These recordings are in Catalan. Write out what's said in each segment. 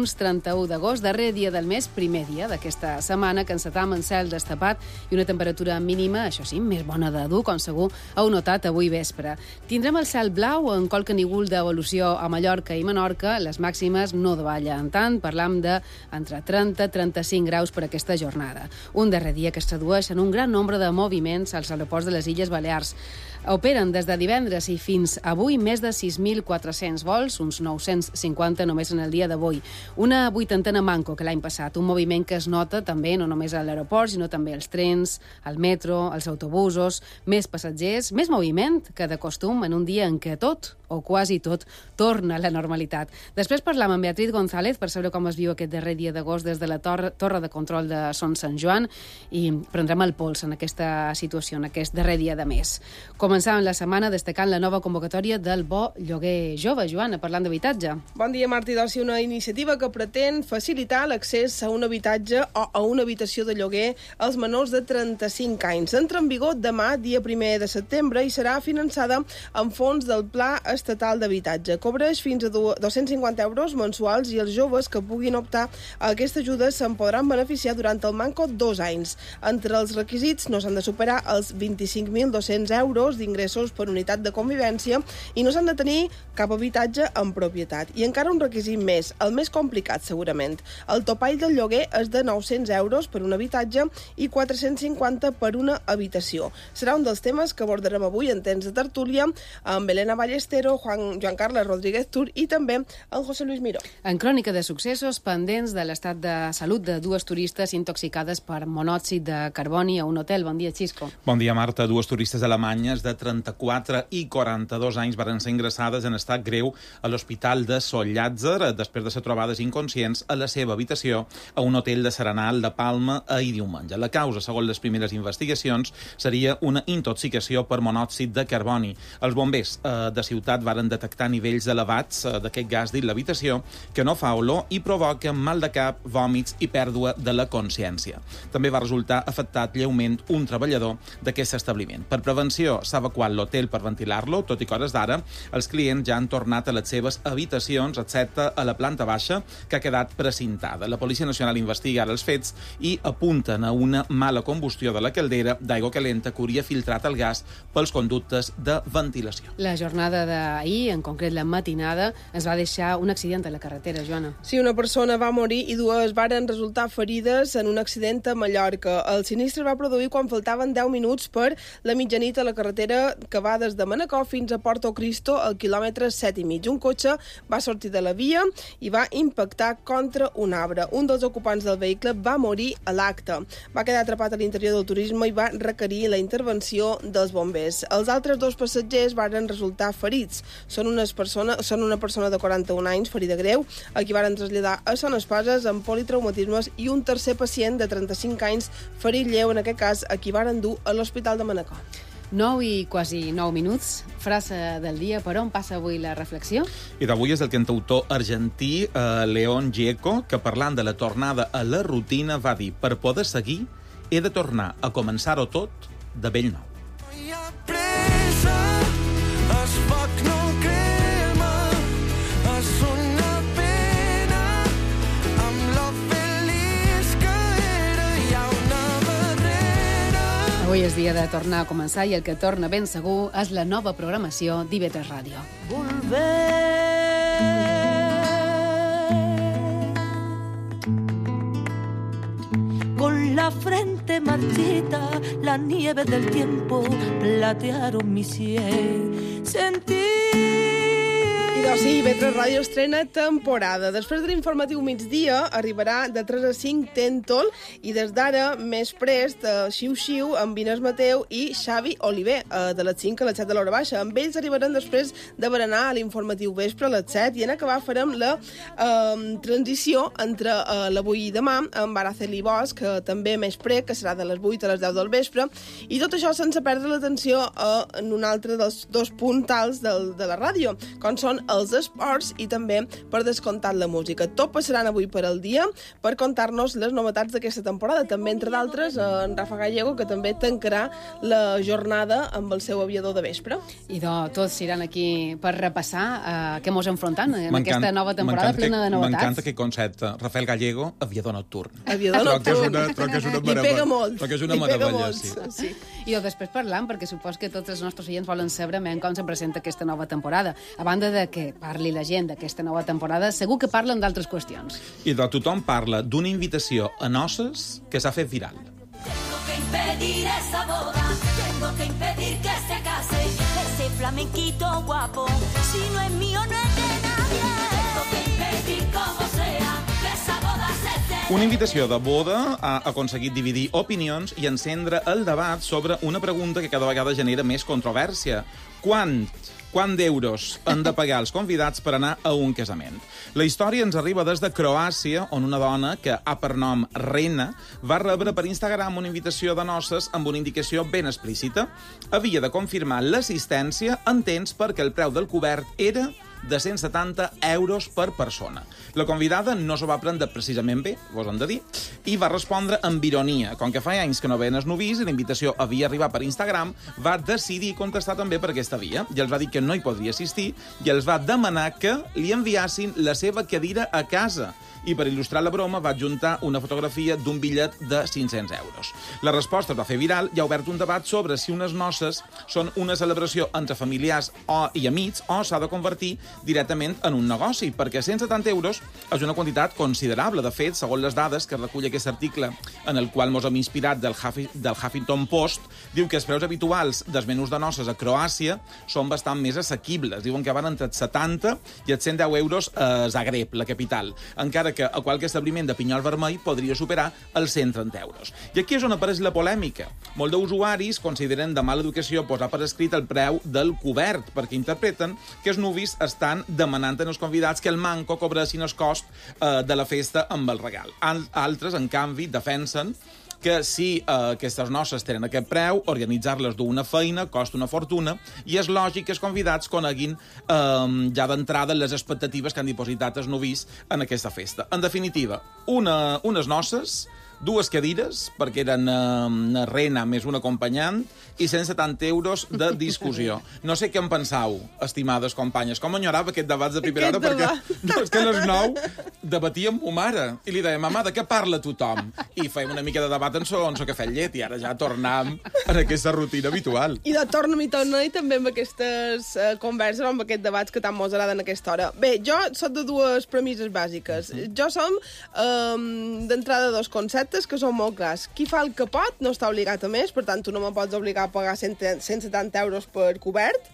dilluns 31 d'agost, darrer dia del mes, primer dia d'aquesta setmana, que encetam en cel destapat i una temperatura mínima, això sí, més bona de dur, com segur heu notat avui vespre. Tindrem el cel blau en qualque nígol d'evolució a Mallorca i Menorca. Les màximes no davallen tant, parlam d'entre 30 i 35 graus per aquesta jornada. Un darrer dia que es tradueix en un gran nombre de moviments als aeroports de les Illes Balears. Operen des de divendres i fins avui més de 6.400 vols, uns 950 només en el dia d'avui. Una vuitantena manco que l'any passat, un moviment que es nota també no només a l'aeroport, sinó també als trens, al metro, als autobusos, més passatgers, més moviment que de costum en un dia en què tot, o quasi tot, torna a la normalitat. Després parlam amb Beatriz González per saber com es viu aquest darrer dia d'agost des de la torre de control de Son Sant Joan i prendrem el pols en aquesta situació, en aquest darrer dia de mes. Començàvem la setmana destacant la nova convocatòria del Bo Lloguer Jove. Joana, parlant d'habitatge. Bon dia, Martí. Doncs una iniciativa que pretén facilitar l'accés a un habitatge o a una habitació de lloguer als menors de 35 anys. Entra en vigor demà, dia 1 de setembre, i serà finançada amb fons del Pla Estatal d'Habitatge. Cobreix fins a 250 euros mensuals i els joves que puguin optar a aquesta ajuda se'n podran beneficiar durant el manco 2 anys. Entre els requisits no s'han de superar els 25.200 euros d'ingressos per unitat de convivència i no s'han de tenir cap habitatge en propietat. I encara un requisit més, el més complicat segurament. El topall del lloguer és de 900 euros per un habitatge i 450 per una habitació. Serà un dels temes que abordarem avui en temps de tertúlia amb Elena Ballestero, Joan Carles Rodríguez Tur i també en José Luis Miró. En crònica de successos pendents de l'estat de salut de dues turistes intoxicades per monòxid de carboni a un hotel. Bon dia, Xisco. Bon dia, Marta. Dues turistes alemanyes de 34 i 42 anys van ser ingressades en estat greu a l'Hospital de Sant Llàtzer després de ser trobades inconscients a la seva habitació a un hotel de Serenal de Palma ahir diumenge. La causa, segons les primeres investigacions, seria una intoxicació per monòxid de carboni. Els bombers de ciutat varen detectar nivells elevats d'aquest gas dins l'habitació que no fa olor i provoca mal de cap, vòmits i pèrdua de la consciència. També va resultar afectat lleument un treballador d'aquest establiment. Per prevenció s'ha evacuat l'hotel per ventilar-lo, tot i que a hores d'ara els clients ja han tornat a les seves habitacions, excepte a la planta baixa, que ha quedat precintada. La Policia Nacional investiga ara els fets i apunten a una mala combustió de la caldera d'aigua calenta que hauria filtrat el gas pels conductes de ventilació. La jornada d'ahir, en concret la matinada, ens va deixar un accident a la carretera, Joana. Sí, una persona va morir i dues varen resultar ferides en un accident a Mallorca. El sinistre va produir quan faltaven 10 minuts per la mitjanit a la carretera que va des de Manacor fins a Porto Cristo al quilòmetre 7,5. Un cotxe va sortir de la via i va impactar contra un arbre. Un dels ocupants del vehicle va morir a l'acte. Va quedar atrapat a l'interior del turisme i va requerir la intervenció dels bombers. Els altres dos passatgers varen resultar ferits. Són una persona de 41 anys, ferida greu, a qui varen traslladar a Son Espases amb politraumatismes i un tercer pacient de 35 anys, ferit lleu, en aquest cas, a qui varen dur a l'Hospital de Manacor. 9 i quasi 9 minuts, frase del dia. Per on passa avui la reflexió? I d'avui és el cantautor argentí León Gieco, que parlant de la tornada a la rutina va dir: per poder seguir he de tornar a començar-ho tot de bell nou. Avui és dia de tornar a començar i el que torna ben segur és la nova programació d'IV3 Ràdio. Con la frente marchita, la nieve del tiempo platearon mi sien. Sentí... I doncs sí, IV3 Ràdio estrena temporada. Després de l'informatiu migdia arribarà de 3 a 5 Tentol i des d'ara més prest Xiu-Xiu amb Inés Mateu i Xavi Oliver de les 5 a les 7 de l'hora baixa. Amb ells arribaran després de berenar a l'informatiu vespre a les 7 i en acabar farem la transició entre l'avui i demà amb Araceli Bosch, també més pre, que serà de les 8 a les 10 del vespre, i tot això sense perdre l'atenció en un altre dels dos puntals de la ràdio, com són els esports i també, per descomptat, la música. Tot passaran avui per al dia per contar-nos les novetats d'aquesta temporada. També, entre d'altres, en Rafa Gallego, que també tancarà la jornada amb el seu aviador de vespre. I tots iran aquí per repassar què mos enfrontant en aquesta nova temporada plena de novetats. M'encanta aquest concepte. Rafael Gallego, aviador nocturn. Aviador nocturn. I pega molt. Troc que és una meravella, sí. I després parlant, perquè supos que tots els nostres oients volen saber com se presenta aquesta nova temporada. A banda de que parli la gent d'aquesta nova temporada, segur que parlen d'altres qüestions. I tothom parla d'una invitació a noces que s'ha fet viral. Tengo que impedir esa boda, tengo que impedir que se case ese flamenquito guapo, si no es mío no es de nadie. Tengo que impedir como sea que esa boda se dé. Una invitació de boda ha aconseguit dividir opinions i encendre el debat sobre una pregunta que cada vegada genera més controvèrsia. Quant d'euros han de pagar els convidats per anar a un casament? La història ens arriba des de Croàcia, on una dona, que ha per nom Rena, va rebre per Instagram una invitació de noces amb una indicació ben explícita. Havia de confirmar l'assistència en temps perquè el preu del cobert era de 170 euros per persona. La convidada no s'ho va prendre precisament bé, vos hem de dir, i va respondre amb ironia. Com que fa anys que no veien els novis i la invitació havia arribat per Instagram, va decidir contestar també per aquesta via. I els va dir que no hi podria assistir i els va demanar que li enviassin la seva cadira a casa. I per il·lustrar la broma va adjuntar una fotografia d'un bitllet de 500 euros. La resposta es va fer viral i ha obert un debat sobre si unes noces són una celebració entre familiars i amics o s'ha de convertir directament en un negoci, perquè 170 euros és una quantitat considerable. De fet, segons les dades que recull aquest article en el qual mos hem inspirat del Huffington Post, diu que els preus habituals dels menús de noces a Croàcia són bastant més assequibles. Diuen que van entre els 70 i els 110 euros a Zagreb, la capital, encara que a qualque establiment de pinyol vermell podria superar els 130 euros. I aquí és on apareix la polèmica. Molts d'usuaris consideren de mala educació posar per escrit el preu del cobert, perquè interpreten que els nuvis estan demanant als convidats que el manco cobressin el cost de la festa amb el regal. Altres, en canvi, defensen que si aquestes noces tenen aquest preu, organitzar-les d'una feina costa una fortuna i és lògic que els convidats coneguin ja d'entrada les expectatives que han dipositat els novis en aquesta festa. En definitiva, unes noces, dues cadires, perquè eren una rena més un acompanyant, i 170 euros de discussió. No sé què en pensau, estimades companyes. Com enyorava aquest debat de primera hora, perquè no, és que a les 9 debatíem amb mare, i li deia, mama, de què parla tothom? I fèiem una mica de debat en so cafè amb llet, i ara ja tornam en aquesta rutina habitual. I de torna-hi també amb aquestes converses, amb aquests debats que tant mos agraden a aquesta hora. Bé, jo soc de dues premisses bàsiques. Jo som d'entrada dos conceptes que són molt clars. Qui fa el que pot no està obligat a més, per tant, tu no me pots obligar a pagar 170 euros per cobert.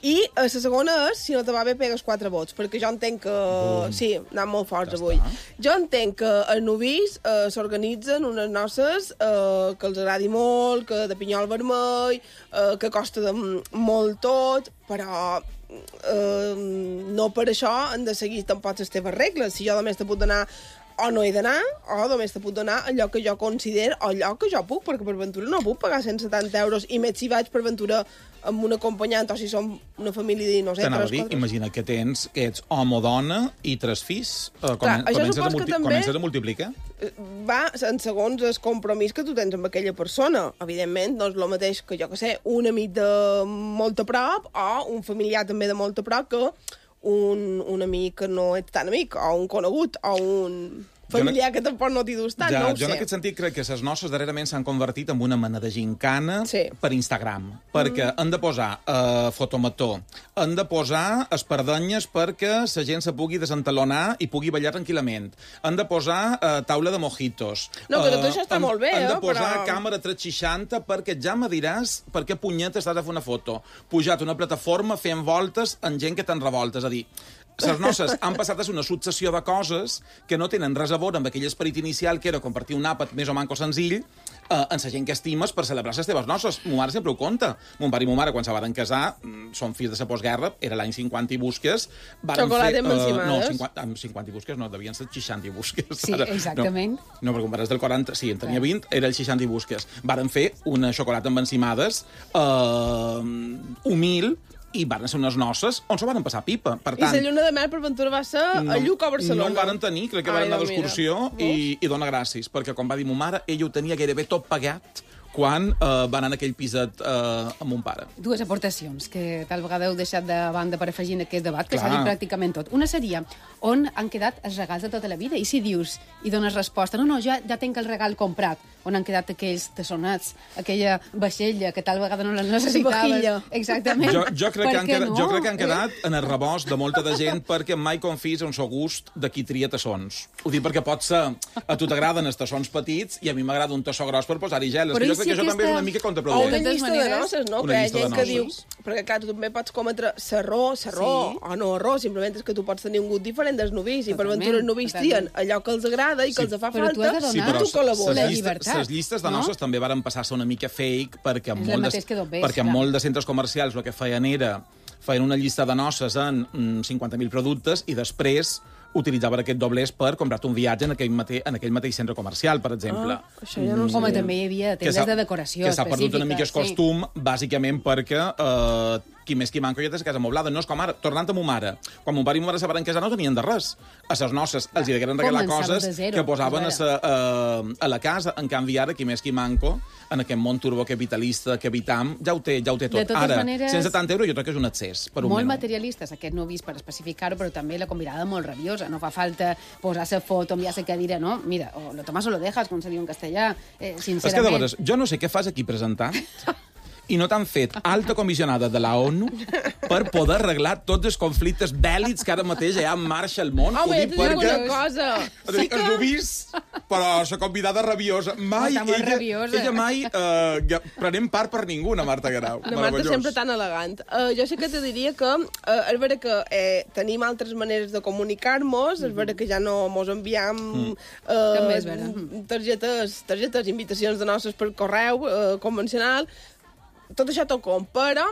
I la segona és, si no te va bé, pegues 4 vots, perquè jo entenc que... Sí, anant molt forts avui. Jo entenc que els novis s'organitzen unes noces que els agradi molt, que de pinyol vermell, que costa molt tot, però no per això han de seguir tampoc les teves regles. Si jo només te puc donar o no he d'anar, o només te puc donar allò que jo considero, o allò que jo puc, perquè per ventura no puc pagar 170 euros, i més si vaig per ventura amb un acompanyant, o si som una família de, no sé, 3-4... Imagina que ets home o dona i 3 fills. Comences a multiplicar? Va en segons el compromís que tu tens amb aquella persona. Evidentment, no és el mateix que, jo que sé, un amic de molt a prop, o un familiar també de molt a prop, que un amic que no ets tan amic, o un conegut, o un familiar que tampoc no t'hi dus tant, no ho sé. Jo en aquest sentit crec que les noces darrerament s'han convertit en una mena de gincana per Instagram, perquè han de posar fotomató, han de posar espardenyes perquè la gent se pugui desentalonar i pugui ballar tranquil·lament, han de posar taula de mojitos. No, que tot això està molt bé, han de posar càmera 360 perquè ja me diràs per què punyetes t'has de fer una foto. Pujat una plataforma fent voltes amb gent que te'n revoltes, és a dir, les noces han passat a ser una successió de coses que no tenen res a veure amb aquell esperit inicial que era compartir un àpat més o manco senzill en la gent que estimes per celebrar les teves noces. Mo mare sempre ho conta. Mon pare i mo mare, quan se van casar, són fills de la postguerra, era l'any 50 i busques. Xocolata amb encimades. No, amb 50 i busques no, devien ser 60 i busques. Sí, exactament. No, perquè quan eres del 40, sí, en tenia 20, era el 60 i busques. Varen fer una xocolata amb encimades humil, i van ser unes noces on s'ho van passar pipa. Per I tant, la lluna de mel per ventura va ser a Lluc o a Barcelona? no en varen tenir, crec que van anar d'excursió i dona gràcies, perquè com va dir ma mare, ella ho tenia gairebé tot pagat quan van anar a aquell piset amb mon pare. Dues aportacions que tal vegada heu deixat de banda per afegir en aquest debat, que s'ha dit pràcticament tot. Una seria on han quedat els regals de tota la vida, i si dius i dones resposta, no, ja tinc el regal comprat, on han quedat aquells tassonats, aquella vaixella que tal vegada no la necessitaves. Exactament. Jo crec que han quedat en el rebost de molta de gent perquè mai confis en seu gust de qui tria tassons. Ho dic perquè pot ser, a tu t'agraden els tassons petits i a mi m'agrada un tassó gros per posar-hi gel. Jo crec que això també és una mica contraproduent. O una llista de noces, no? Que hi ha gent que diu... Perquè, clar, tu també pots cometre serró o no arró, simplement és que tu pots tenir un gust diferent dels novis, i per ventura els novis trien allò que els agrada i que els fa falta, i tu col·labores. Les llistes de noces també varen passar a ser una mica fake, perquè en molts de centres comercials el que feien una llista de noces en 50.000 productes i després utilitzaven aquest doblers per comprar-te un viatge en aquell mateix centre comercial, per exemple. Això ja no ho Home, també hi havia tendes de decoració que s'ha perdut una mica el costum, bàsicament perquè qui més qui manco ja té la casa moblada. No és com ara, tornant a ma mare. Quan mon pare i ma mare se van casar no tenien de res. A les noces els hi degueren regalar coses que posaven a la casa. En canvi, ara, qui més qui manco, en aquest món turbocapitalista que habitam, ja ho té tot. Ara, 170 euros jo crec que és un excés. Molt materialistes, aquest no vist per especificar-ho, però també la convidada molt rabiosa. No fa falta posar la foto, enviar la cadira, no? Mira, o lo tomas o lo dejas, com se diu en castellà, sincerament. És que, de veres, jo no sé què fas aquí presentant i no t'han fet alta comissionada de la ONU per poder arreglar tots els conflictes bèl·lics que ara mateix hi ha en marxa al món. Home, ja t'ho dic una cosa. Els ho vist, però la convidada rabiosa. Ella mai prenem part per ningú, la Marta Guerau. La Marta sempre tan elegant. Jo sé que te diria que és vera que tenim altres maneres de comunicar-nos, és vera que ja no mos enviam targetes, invitacions de noces per correu convencional. Tot això tot com, però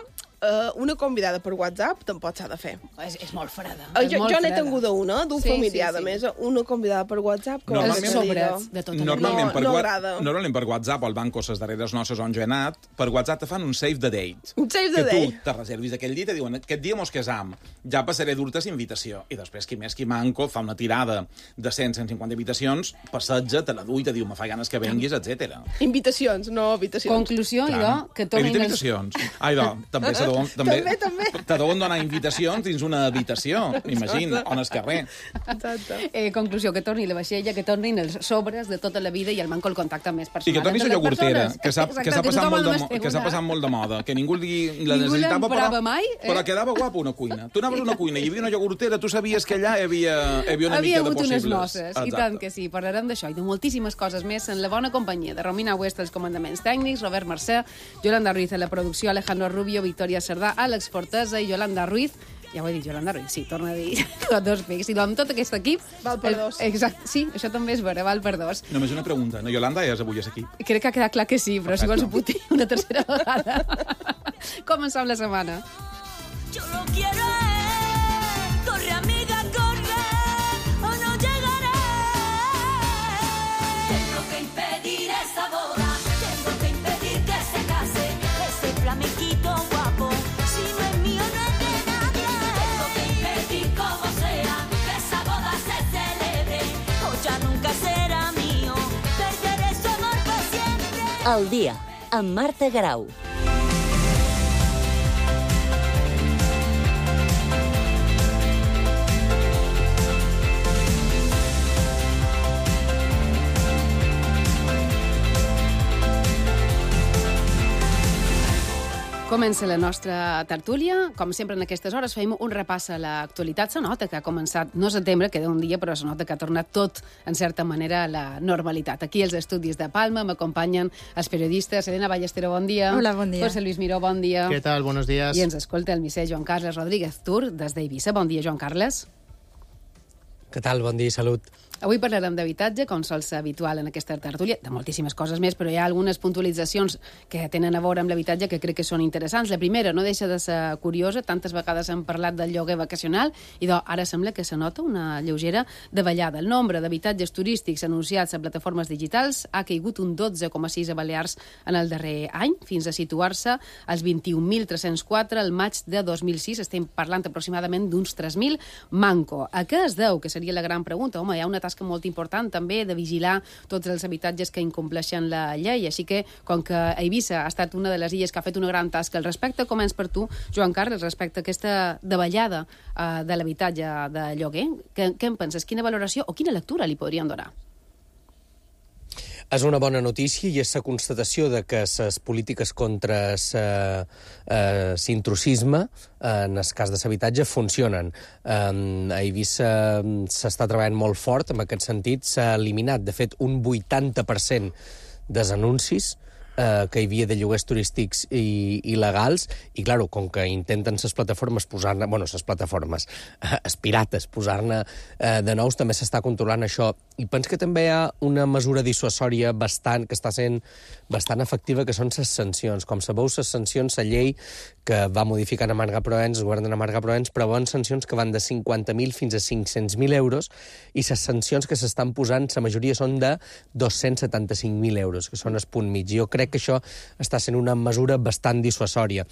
una convidada per WhatsApp tampoc s'ha de fer. És molt freda. Jo n'he tingut una, d'un familiar, a més, una convidada per WhatsApp. Els sobres de tota la vida. No agrada. Normalment per WhatsApp o al banc o les darreres noces on jo he anat, per WhatsApp te fan un save the date. Un save the date. Que tu te reservis aquell dia i te diuen, aquest dia mos casam, ja passaré dur-te invitació. I després, qui més qui manco, fa una tirada de 100-150 invitacions, passeja, te la du i te diu, me fa ganes que venguis, etc. Invitacions, no habitacions. Conclusió, idò, que tornin... Evita invitacions. També te deuen donar invitacions dins una habitació, m'imagino, on és carrer. Exacte. Conclusió, que torni la vaixella, que tornin els sobres de tota la vida i el manco el contacte més personal. I que torni la iogurtera, que s'ha passat molt de moda, que ningú la necessitava, però quedava guapa una cuina. Tu anaves a una cuina i hi havia una iogurtera, tu sabies que allà hi havia una mica de possibles. Unes noces, i tant que sí. Parlarem d'això i de moltíssimes coses més en la bona companyia de Romina Huesta, els comandaments tècnics, Robert Mercè, Yolanda Ruiz a la producció, Alejandro Rubio, Victoria Cerdà, Àlex Fortesa i Yolanda Ruiz. Ja ho he dit, Yolanda Ruiz, sí, torna a dir dos pics. I amb tot aquest equip... Val per dos. Exacte, sí, això també és vera, val per dos. Només una pregunta, no, Yolanda, és avui és aquí? Crec que ha quedat clar que sí, però si vols ho puc dir una tercera vegada. Comencem la setmana. Yo lo quiero, corre amiga, corre, o no llegaré. Tengo que impedir esa boda, tengo que impedir que se case ese flamenquito guapo. Si no es mío, no es de nadie. Tengo que impedir como sea que esa boda se celebre, o ya nunca será mío. Perderé su amor por siempre. Al dia, amb Marta Guerau. Comença la nostra tertúlia. Com sempre, en aquestes hores fem un repàs a l'actualitat. Se nota que ha començat, no setembre, queda un dia, però se nota que ha tornat tot, en certa manera, a la normalitat. Aquí, als estudis de Palma, m'acompanyen els periodistes. Elena Ballestero, bon dia. Hola, bon dia. José Luis Miró, bon dia. Què tal? Buenos días. I ens escolta el misser Joan Carles Rodríguez Tur, des d'Eivissa. Bon dia, Joan Carles. Què tal? Bon dia i salut. Avui parlarem d'habitatge, com sol ser habitual en aquesta tertúlia, de moltíssimes coses més, però hi ha algunes puntualitzacions que tenen a veure amb l'habitatge que crec que són interessants. La primera no deixa de ser curiosa, tantes vegades hem parlat del lloguer vacacional i ara sembla que se nota una lleugera davallada. El nombre d'habitatges turístics anunciats a plataformes digitals ha caigut un 12,6 a Balears en el darrer any, fins a situar-se als 21.304 al maig de 2006. Estem parlant aproximadament d'uns 3.000 manco. A què es deu? Que seria la gran pregunta. Home, hi ha una tasca molt important també de vigilar tots els habitatges que incompleixen la llei, així que com que Eivissa ha estat una de les illes que ha fet una gran tasca al respecte, començ per tu, Joan Carles, respecte a aquesta davallada de l'habitatge de lloguer. Què en penses? Quina valoració o quina lectura li podrien donar? És una bona notícia i és la constatació de que les polítiques contra l'intrusisme, en el cas de l'habitatge, funcionen. A Eivissa s'està treballant molt fort en aquest sentit. S'ha eliminat, de fet, un 80% dels anuncis que hi havia de lloguers turístics il·legals, i, clar, com que intenten les plataformes posar-ne, les plataformes, els pirates, posar-ne de nous, també s'està controlant això. I penso que també hi ha una mesura dissuasòria que està sent bastant efectiva, que són les sancions. Com sabeu, les sancions, la llei que va modificar a Marga Proens, el govern de Marga Proens, preveuen sancions que van de 50.000 fins a 500.000 euros, i les sancions que s'estan posant, la majoria són de 275.000 euros, que són el punt mig. Jo crec que això està sent una mesura bastant dissuasòria.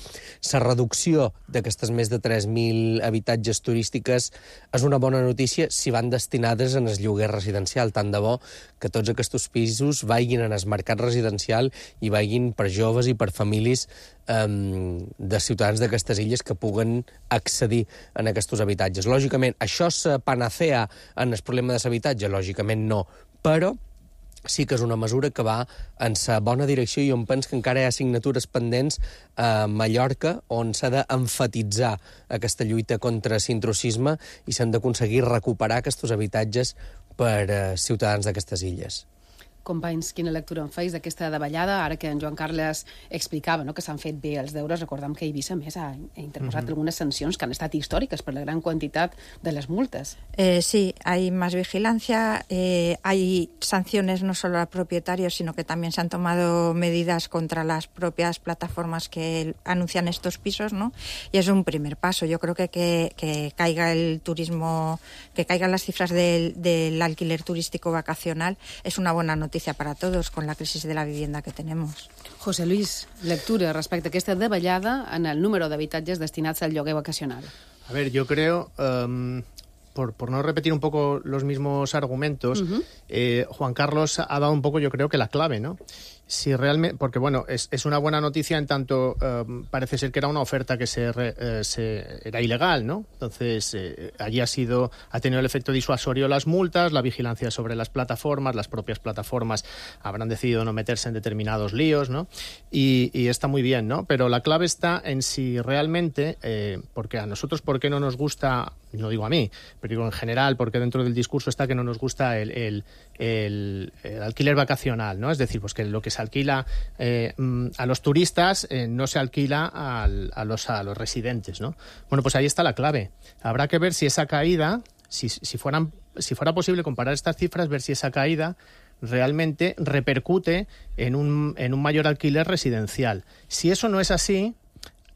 La reducció d'aquestes més de 3.000 habitatges turístiques és una bona notícia si van destinades en el lloguer residencial. Tant de bo que tots aquests pisos vagin en el mercat residencial i vagin per joves i per famílies de ciutadans d'aquestes illes que puguen accedir en aquests habitatges. Lògicament, això és panacea en el problema de l'habitatge? Lògicament no, però sí que és una mesura que va en la bona direcció, i on penso que encara hi ha signatures pendents a Mallorca, on s'ha d'emfatitzar aquesta lluita contra l'intrusisme i s'han d'aconseguir recuperar aquests habitatges per ciutadans d'aquestes illes. Companys, quina lectura en feis d'aquesta davallada? Ara que en Joan Carles explicava que s'han fet bé els deures, recordem que Eivissa, més, ha interposat algunes sancions que han estat històriques per la gran quantitat de les multes. Sí, hay más vigilancia, hay sanciones no solo a propietarios, sino que también se han tomado medidas contra las propias plataformas que anuncian estos pisos, ¿no? Y es un primer paso. Yo creo que caiga el turismo, que caigan las cifras del alquiler turístico vacacional es una buena noticia para todos con la crisis de la vivienda que tenemos. José Luis, lectura respecte a aquesta davallada en el número d'habitatges destinats al lloguer vacacional. A ver, yo creo, por no repetir un poco los mismos argumentos, Juan Carlos ha dado un poco, yo creo que la clave, ¿no? Si realmente, porque bueno, es una buena noticia en tanto parece ser que era una oferta que era ilegal, ¿no? Entonces allí ha tenido el efecto disuasorio las multas, la vigilancia sobre las plataformas, las propias plataformas habrán decidido no meterse en determinados líos, ¿no? Y está muy bien, ¿no? Pero la clave está en si realmente, porque a nosotros, ¿por qué no nos gusta? No digo a mí, pero digo en general, porque dentro del discurso está que no nos gusta el alquiler vacacional, ¿no? Es decir, pues que lo que se alquila a los turistas no se alquila a los residentes, ¿no? Bueno, pues ahí está la clave. Habrá que ver si esa caída, si fuera posible comparar estas cifras, ver si esa caída realmente repercute en un mayor alquiler residencial. Si eso no es así,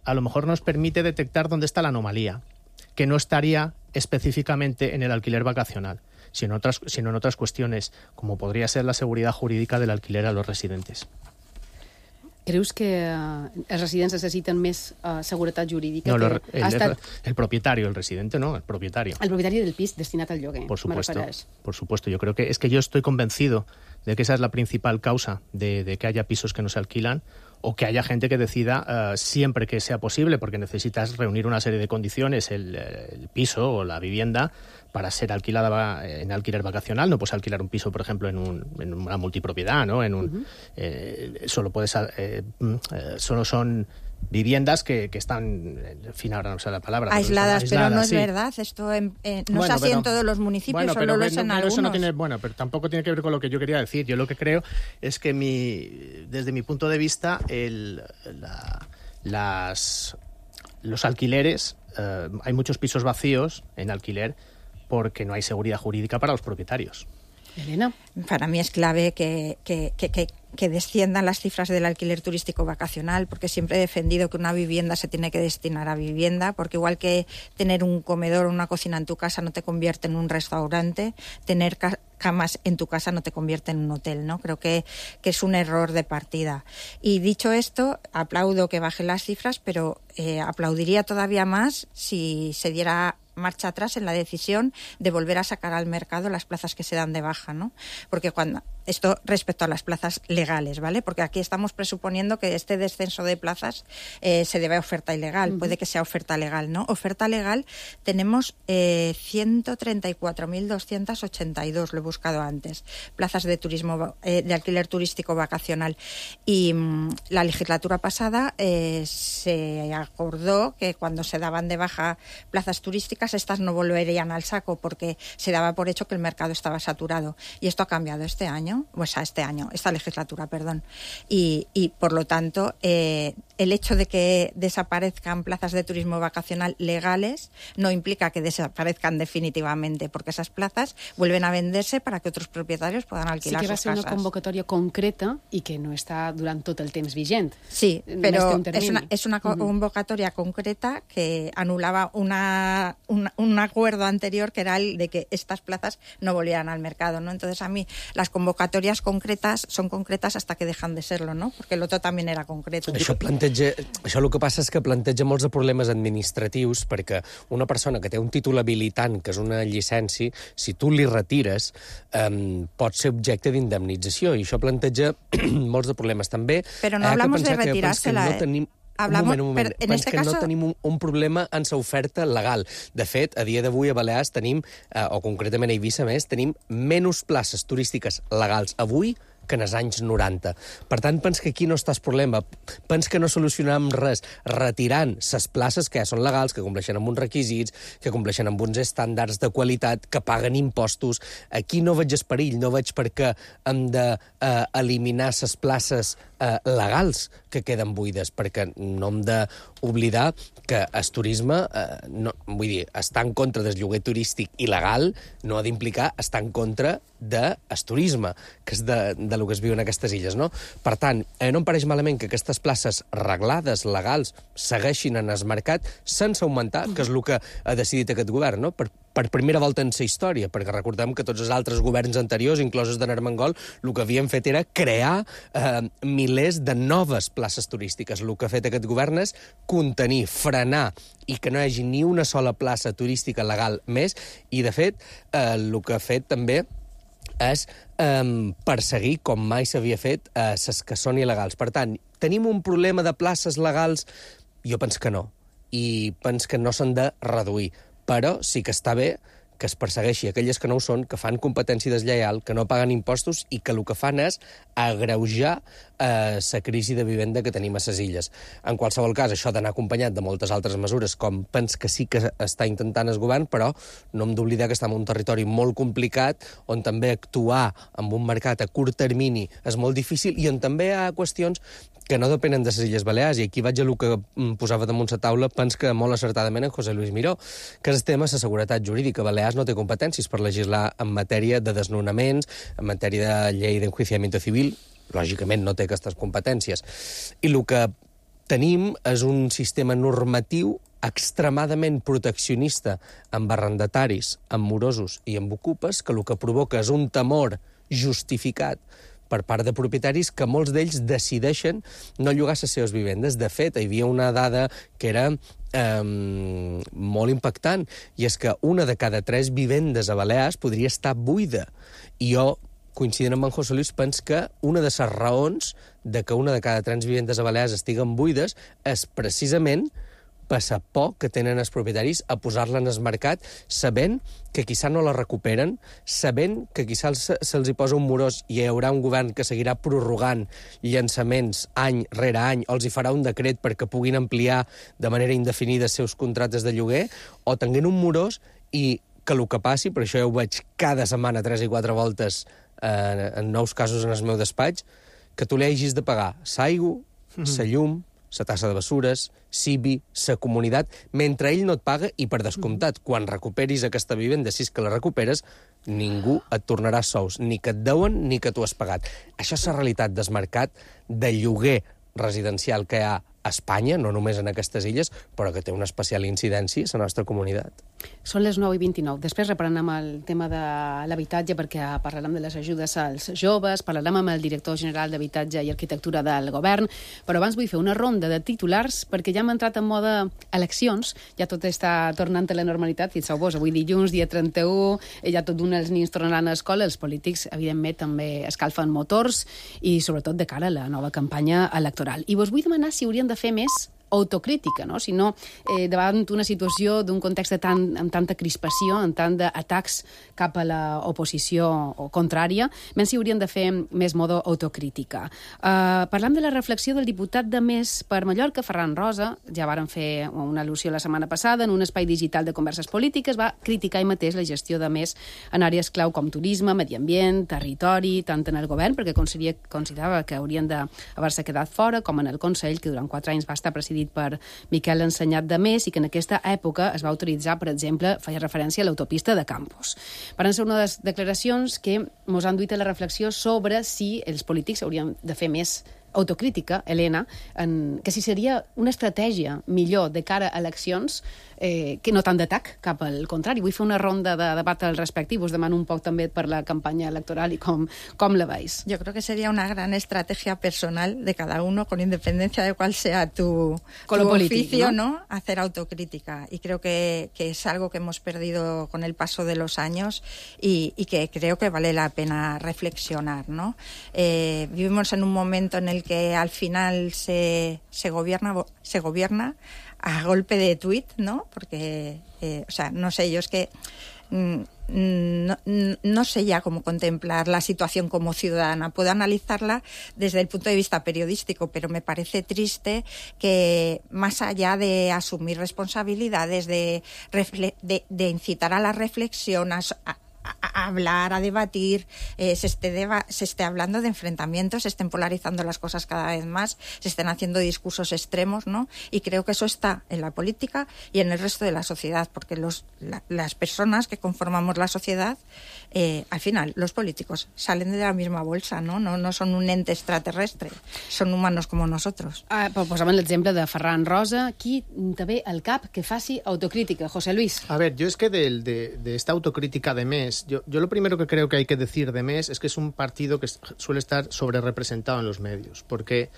a lo mejor nos permite detectar dónde está la anomalía, que no estaría específicamente en el alquiler vacacional, sino en otras cuestiones, como podría ser la seguridad jurídica del alquiler a los residentes. Creus que els residents necessiten més seguretat jurídica? No, el propietario, el residente no, el propietario. El propietari del pis destinat al lloguer. Por supuesto. Yo creo que yo estoy convencido de que esa es la principal causa de que haya pisos que no se alquilan, o que haya gente que decida siempre que sea posible, porque necesitas reunir una serie de condiciones, el piso o la vivienda, para ser alquilada en alquiler vacacional. No puedes alquilar un piso, por ejemplo, en una multipropiedad, ¿no? Solo son viviendas que están, en fin, ahora no sé la palabra. Aisladas, pero no es verdad. Esto no es así en todos los municipios, solo lo es en algunos. Eso no tiene, pero tampoco tiene que ver con lo que yo quería decir. Yo lo que creo es que desde mi punto de vista, los alquileres, hay muchos pisos vacíos en alquiler porque no hay seguridad jurídica para los propietarios. Elena. Para mí es clave que desciendan las cifras del alquiler turístico vacacional, porque siempre he defendido que una vivienda se tiene que destinar a vivienda, porque igual que tener un comedor o una cocina en tu casa no te convierte en un restaurante, tener camas en tu casa no te convierte en un hotel, ¿no? Creo que es un error de partida. Y dicho esto, aplaudo que bajen las cifras, pero aplaudiría todavía más si se diera marcha atrás en la decisión de volver a sacar al mercado las plazas que se dan de baja, ¿no? Porque esto respecto a las plazas legales, ¿vale? Porque aquí estamos presuponiendo que este descenso de plazas se debe a oferta ilegal. Puede que sea oferta legal, ¿no? Oferta legal tenemos 134.282, lo he buscado antes, plazas de turismo, de alquiler turístico vacacional. Y la legislatura pasada se acordó que cuando se daban de baja plazas turísticas, estas no volverían al saco porque se daba por hecho que el mercado estaba saturado. Y esto ha cambiado esta legislatura, perdón. Y por lo tanto, el hecho de que desaparezcan plazas de turismo vacacional legales no implica que desaparezcan definitivamente, porque esas plazas vuelven a venderse para que otros propietarios puedan alquilar sus casas. Sí que va ser una convocatòria concreta i que no està durant tot el temps vigent. Sí, però és una convocatoria concreta que anulaba un acuerdo anterior que era el de que estas plazas no volvieran al mercado, ¿no? Entonces a mí las convocatorias concretas son concretas hasta que dejan de serlo, ¿no? Porque el otro también era concreto. Això el que passa és que planteja molts de problemes administratius, perquè una persona que té un títol habilitant, que és una llicència, si tu li retires, pot ser objecte d'indemnització, i això planteja molts de problemes. També però no hablamos de retirársela, no tenim un problema en sa oferta legal. De fet, a dia d'avui a Balears tenim, o concretament a Eivissa més, tenim menys places turístiques legals avui que en els anys 90. Per tant, pens que aquí no està el problema. Pens que no solucionam res retirant les places que ja són legals, que compleixen amb uns requisits, que compleixen amb uns estàndards de qualitat, que paguen impostos. Aquí no veig el perill, no veig per què hem d'eliminar les places legals que queden buides, perquè no hem d'oblidar que el turisme, estar en contra del lloguer turístic il·legal no ha d'implicar estar en contra del turisme, que és de lo que es viu en aquestes illes, no? Per tant, no em pareix malament que aquestes places reglades, legals, segueixin en el mercat sense augmentar, que és el que ha decidit aquest govern, no? Per primera volta en la història, perquè recordem que tots els altres governs anteriors, inclosos de Armengol, el que havien fet era crear milers de noves places turístiques. El que ha fet aquest govern és contenir, frenar i que no hi hagi ni una sola plaça turística legal més, i de fet el que ha fet també és perseguir, com mai s'havia fet, les que són il·legals. Per tant, tenim un problema de places legals? Jo penso que no. I penso que no s'han de reduir. Però sí que està bé que es persegueixi aquelles que no ho són, que fan competència deslleial, que no paguen impostos i que el que fan és agreujar la crisi de vivenda que tenim a les illes. En qualsevol cas, això ha d'anar acompanyat de moltes altres mesures, com penso que sí que està intentant el govern, però no hem d'oblidar que estem en un territori molt complicat, on també actuar amb un mercat a curt termini és molt difícil i on també hi ha qüestions que no depenen de les Illes Balears, i aquí vaig a el que posava damunt la taula, penso que molt acertadament en José Luis Miró, que és el tema de la seguretat jurídica. Balears no té competències per legislar en matèria de desnonaments, en matèria de llei d'enjuiciamiento civil, lògicament no té aquestes competències. I el que tenim és un sistema normatiu extremadament proteccionista amb arrendataris, amb morosos i amb ocupes, que el que provoca és un temor justificat per part de propietaris que molts d'ells decideixen no llogar les seves vivendes. De fet, hi havia una dada que era molt impactant, i és que una de cada 3 vivendes a Balears podria estar buida. I jo, coincidint amb en José Luis, penso que una de les raons de que una de cada 3 vivendes a Balears estiguen buides és precisament per la por que tenen els propietaris a posar-la en el mercat, sabent que quizà no la recuperen, sabent que quizà se'ls hi posa un morós i hi haurà un govern que seguirà prorrogant llançaments any rere any, o els hi farà un decret perquè puguin ampliar de manera indefinida els seus contractes de lloguer, o tenint un morós i que el que passi, per això ja ho veig cada setmana 3 i 4 voltes en nous casos en el meu despatx, que tu li hagis de pagar l'aigua, la llum, la tassa de bessures, CIBI, la comunitat, mentre ell no et paga i, per descomptat, quan recuperis aquesta vivenda, si és que la recuperes, ningú et tornarà sous, ni que et deuen ni que tu has pagat. Això és la realitat del mercat de lloguer residencial que hi ha a Espanya, no només en aquestes illes, però que té una especial incidència a la nostra comunitat. Són les 9:29. Després reprenem el tema de l'habitatge perquè parlarem de les ajudes als joves, parlarem amb el director general d'Habitatge i Arquitectura del Govern, però abans vull fer una ronda de titulars perquè ja hem entrat en mode eleccions, ja tot està tornant a la normalitat, fixeu-vos, avui dilluns, dia 31, ja tot d'un els nins tornaran a l'escola, els polítics, evidentment, també escalfen motors i sobretot de cara a la nova campanya electoral. I vos vull demanar si haurien de fer més autocrítica, no? Si no, davant una situació d'un context amb tanta crispació, amb tant d'atacs cap a l'oposició o contrària, menys si haurien de fer més modo autocrítica. Parlam de la reflexió del diputat de Més per Mallorca, Ferran Rosa, ja varen fer una al·lusió la setmana passada en un espai digital de converses polítiques, va criticar ell mateix la gestió de Més en àrees clau com turisme, medi ambient, territori, tant en el govern, perquè considerava que haurien d'haver-se quedat fora, com en el Consell, que durant 4 anys va estar presidit per Miquel Ensenyat de Més i que en aquesta època es va autoritzar, per exemple, feia referència a l'autopista de Campos. Van ser una de les declaracions que ens han duit a la reflexió sobre si els polítics haurien de fer més autocrítica, Helena, que si seria una estratègia millor de cara a eleccions que no tant d'atac, cap al contrari. Vull fer una ronda de debat al respecte i vos demano un poc també per la campanya electoral y com la veis. Yo creo que sería una gran estrategia personal de cada uno, con independencia de cuál sea tu oficio, ¿no? Hacer autocrítica. Y creo que es algo que hemos perdido con el paso de los años y que creo que vale la pena reflexionar, ¿no? Vivimos en un momento en el que al final se gobierna a golpe de tuit, ¿no? Porque, o sea, no sé, yo es que no sé ya cómo contemplar la situación como ciudadana. Puedo analizarla desde el punto de vista periodístico, pero me parece triste que más allá de asumir responsabilidades, de incitar a la reflexión, a hablar, a debatir, se esté hablando de enfrentamientos, se estén polarizando las cosas cada vez más, se estén haciendo discursos extremos, ¿no? Y creo que eso está en la política y en el resto de la sociedad, porque las personas que conformamos la sociedad, al final, los políticos salen de la misma bolsa, ¿no? No son un ente extraterrestre, son humanos como nosotros. Posàvem l'exemple de Ferran Rosa. Qui te ve al cap que faci autocrítica? José Luis. A ver, yo es que de esta autocrítica de Més, yo lo primero que creo que hay que decir de Més es que es un partido que suele estar sobre representado en los medios, porque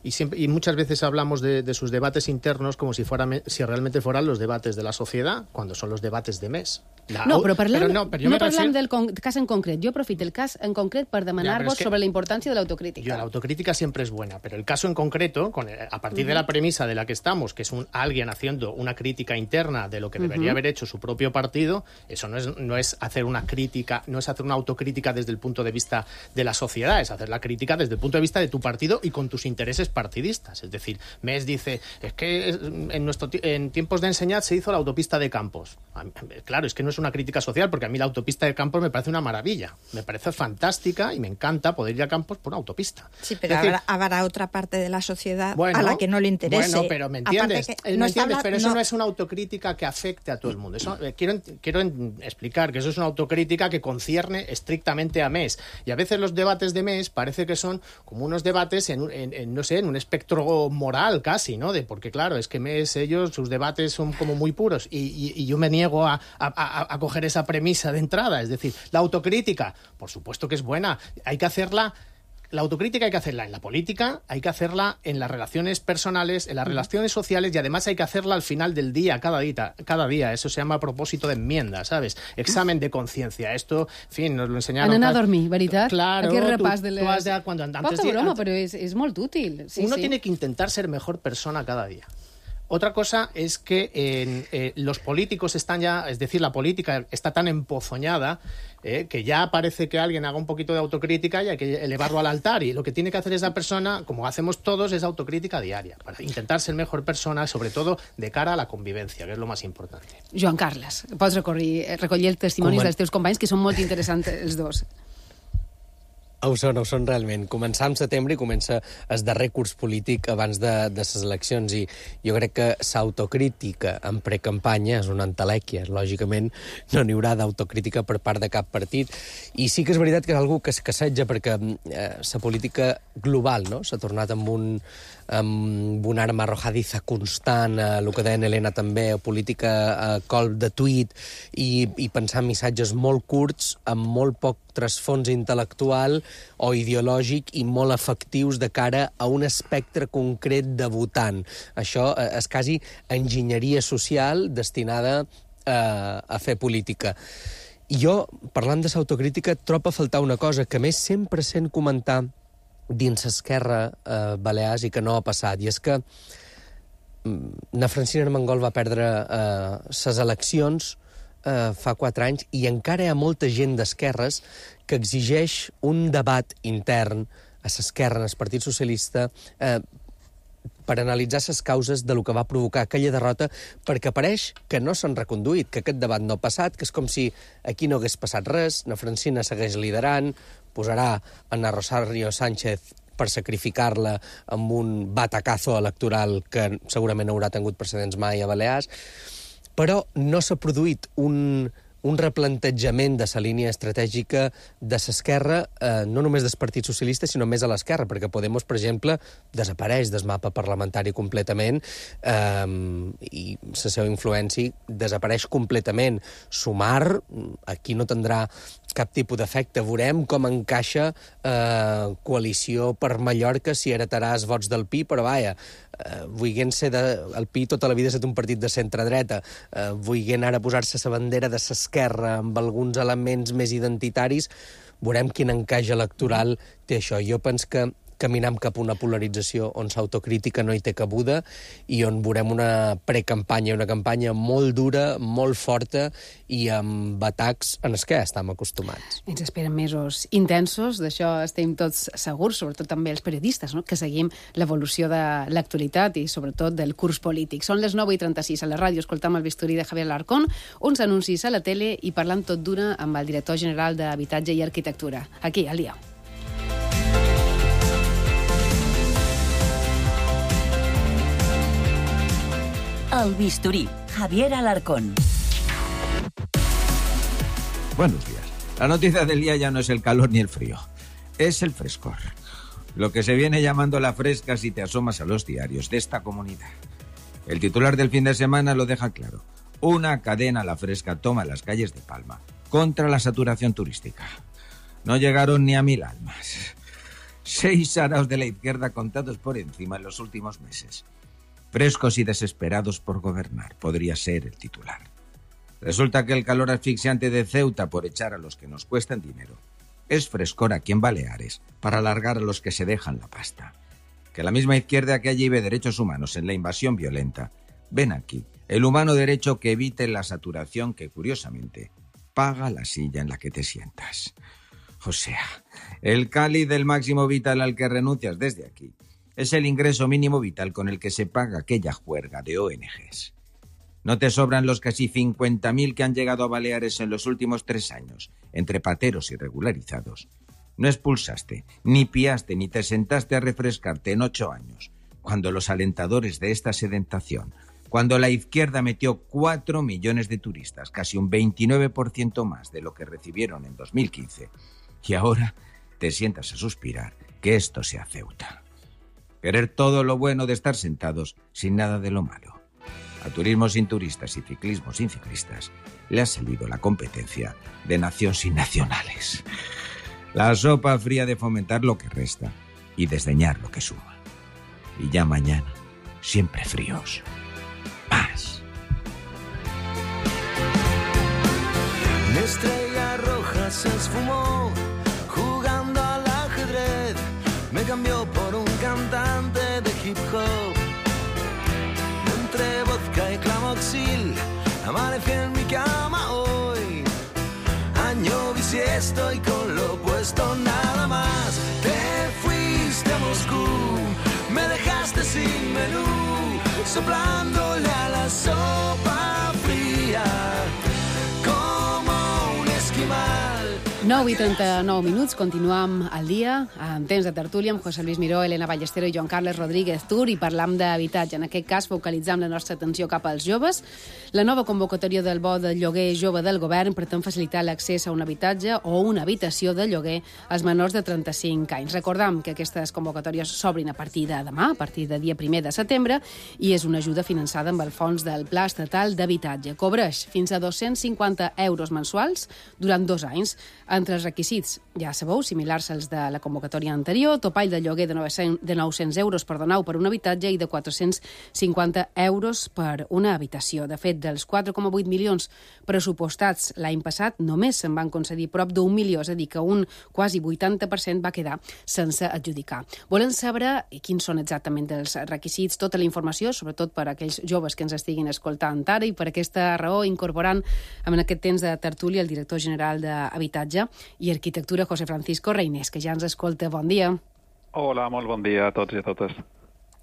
y muchas veces hablamos de sus debates internos como si realmente fueran los debates de la sociedad, cuando son los debates de Més. No parlem del cas en concret. Jo aprofito el cas en concret per demanar-vos sobre la importància de l'autocrítica. La autocrítica siempre es buena, pero el caso en concreto, a partir de la premisa de la que estamos, que es alguien haciendo una crítica interna de lo que debería haber hecho su propio partido, eso no es hacer una crítica, no es hacer una autocrítica desde el punto de vista de la sociedad, es hacer la crítica desde el punto de vista de tu partido y con tus intereses partidistas. Es decir, Més dice, es que en tiempos de Ensenyat se hizo la autopista de Campos. Claro, es que no es una crítica social, porque a mí la autopista de Campos me parece una maravilla, me parece fantástica y me encanta poder ir a Campos por una autopista. Sí, pero habrá otra parte de la sociedad a la que no le interese. Bueno, pero ¿me entiendes? Pero eso no es una autocrítica que afecte a todo el mundo. Eso, quiero explicar que eso es una autocrítica que concierne estrictamente a Més. Y a veces los debates de Més parece que son como unos debates en un espectro moral casi, ¿no? Porque claro, es que Més, sus debates son como muy puros y yo me niego a coger esa premisa de entrada. Es decir, la autocrítica, por supuesto que es buena, hay que hacerla. La autocrítica hay que hacerla en la política, hay que hacerla en las relaciones personales, en las relaciones sociales y además hay que hacerla al final del día, cada día. Eso se llama propósito de enmienda, ¿sabes? Examen de conciencia. Esto, en fin, nos lo enseñaron. Anar a dormir, veritat? Claro. Aquest repàs de les... Poca broma, però és molt útil. Sí, Uno tiene que intentar ser mejor persona cada día. Otra cosa es que los políticos están ya, es decir, la política está tan empozoñada que ya parece que alguien haga un poquito de autocrítica y hay que elevarlo al altar. Y lo que tiene que hacer esa persona, como hacemos todos, es autocrítica diaria, para intentar ser mejor persona, sobre todo de cara a la convivencia, que és lo más importante. Joan Carles, pots recollir els testimonis dels teus companys, que són molt interessants els dos. Ho són realment. Començar en setembre i comença el darrer curs polític abans de les eleccions i jo crec que l'autocrítica en precampanya és una entelèquia. Lògicament no n'hi haurà d'autocrítica per part de cap partit i sí que és veritat que és algú que es casseja perquè la política global no? S'ha tornat amb una arma arrojadiza constant, el que deia Helena també, política colp de tuit i pensar en missatges molt curts amb molt poc trasfons intel·lectual o ideològic i molt efectius de cara a un espectre concret de votant. Això és quasi enginyeria social destinada a fer política. I jo, parlant de l'autocrítica, trobo a faltar una cosa que més sempre sent comentar dins Esquerra Balears i que no ha passat, i és que na Francina Armengol va perdre les eleccions fa 4 anys i encara hi ha molta gent d'esquerres que exigeix un debat intern a l'esquerra, al Partit Socialista, per analitzar les causes de lo que va provocar aquella derrota, perquè pareix que no s'han reconduït, que aquest debat no ha passat, que és com si aquí no hagués passat res, na Francina segueix liderant, posarà a na Rosario Sánchez per sacrificar-la amb un batacazo electoral que segurament no haurà tingut precedents mai a Balears, però no s'ha produït un replantejament de la línia estratègica de l'esquerra, no només del Partit Socialista, sinó més a l'esquerra, perquè Podemos, per exemple, desapareix del mapa parlamentari completament i la seva influència desapareix completament. Sumar, aquí no tindrà cap tipus d'efecte. Veurem com encaixa coalició per Mallorca si heretarà els vots del PI, però vaja, vuiguent ser el PI tota la vida ha estat un partit de centre-dreta, vuiguent ara posar-se la bandera de l'esquerra amb alguns elements més identitaris, veurem quin encaix electoral té això. Jo penso que caminem cap a una polarització on l'autocrítica no hi té cabuda i on veurem una precampanya, una campanya molt dura, molt forta i amb atacs en els que estem acostumats. Ens esperen mesos intensos, d'això estem tots segurs, sobretot també els periodistes, no? Que seguim l'evolució de l'actualitat i sobretot del curs polític. Són les 9:36 a la ràdio, escoltam el bisturí de Javier Alarcón, uns anuncis a la tele i parlant tot d'una amb el director general d'Habitatge i Arquitectura. Aquí, al dia. El bisturí, Javier Alarcón. Buenos días. La noticia del día ya no es el calor ni el frío, es el frescor. Lo que se viene llamando la fresca si te asomas a los diarios de esta comunidad. El titular del fin de semana lo deja claro. Una cadena La Fresca toma las calles de Palma contra la saturación turística. No llegaron ni a 1000 almas. 6 araos de la izquierda contados por encima en los últimos meses. Frescos y desesperados por gobernar, podría ser el titular. Resulta que el calor asfixiante de Ceuta por echar a los que nos cuestan dinero es frescor aquí en Baleares para alargar a los que se dejan la pasta. Que la misma izquierda que allí ve derechos humanos en la invasión violenta, ven aquí el humano derecho que evite la saturación que, curiosamente, paga la silla en la que te sientas. O sea, el cáliz del máximo vital al que renuncias desde aquí es el ingreso mínimo vital con el que se paga aquella juerga de ONGs. ¿No te sobran los casi 50.000 que han llegado a Baleares en los últimos 3 años, entre pateros y regularizados? No expulsaste, ni piaste, ni te sentaste a refrescarte en 8 años, cuando los alentadores de esta sedentación, cuando la izquierda metió 4 millones de turistas, casi un 29% más de lo que recibieron en 2015, y ahora te sientas a suspirar que esto sea Ceuta. Querer todo lo bueno de estar sentados sin nada de lo malo. A turismo sin turistas y ciclismo sin ciclistas le ha salido la competencia de nación sin nacionales. La sopa fría de fomentar lo que resta y desdeñar lo que suma. Y ya mañana, siempre fríos. Más. Mi estrella roja se esfumó jugando al ajedrez. Me cambió por un cantante de hip hop. Entre vodka y clamoxil amanecí en mi cama hoy. Año bisiesto y con lo opuesto nada más. Te fuiste a Moscú, me dejaste sin menú, soplándole a la sopa fría como un esquimal. 9:39, continuem al dia, en temps de tertúlia, amb José Luis Miró, Elena Ballestero i Joan Carles Rodríguez Tur, i parlam d'habitatge. En aquest cas, focalitzam la nostra atenció cap als joves. La nova convocatòria del bo de lloguer jove del govern pretén facilitar l'accés a un habitatge o una habitació de lloguer als menors de 35 anys. Recordam que aquestes convocatòries s'obrin a partir de demà, a partir de dia 1 de setembre, i és una ajuda finançada amb el fons del Pla Estatal d'Habitatge. Cobreix fins a 250 euros mensuals durant 2 anys. Entre els requisits, ja sabeu, similars als de la convocatòria anterior, topall de lloguer de 900 euros per donar per un habitatge i de 450 euros per una habitació. De fet, dels 4,8 milions pressupostats l'any passat, només se'n van concedir prop d'1 milió, és a dir, que un quasi 80% va quedar sense adjudicar. Volen saber quins són exactament els requisits, tota la informació, sobretot per a aquells joves que ens estiguin escoltant ara, i per aquesta raó incorporant en aquest temps de tertúlia el director general d'Habitatge i Arquitectura, José Francisco Reynés, que ja ens escolta. Bon dia. Hola, molt bon dia a tots i a totes.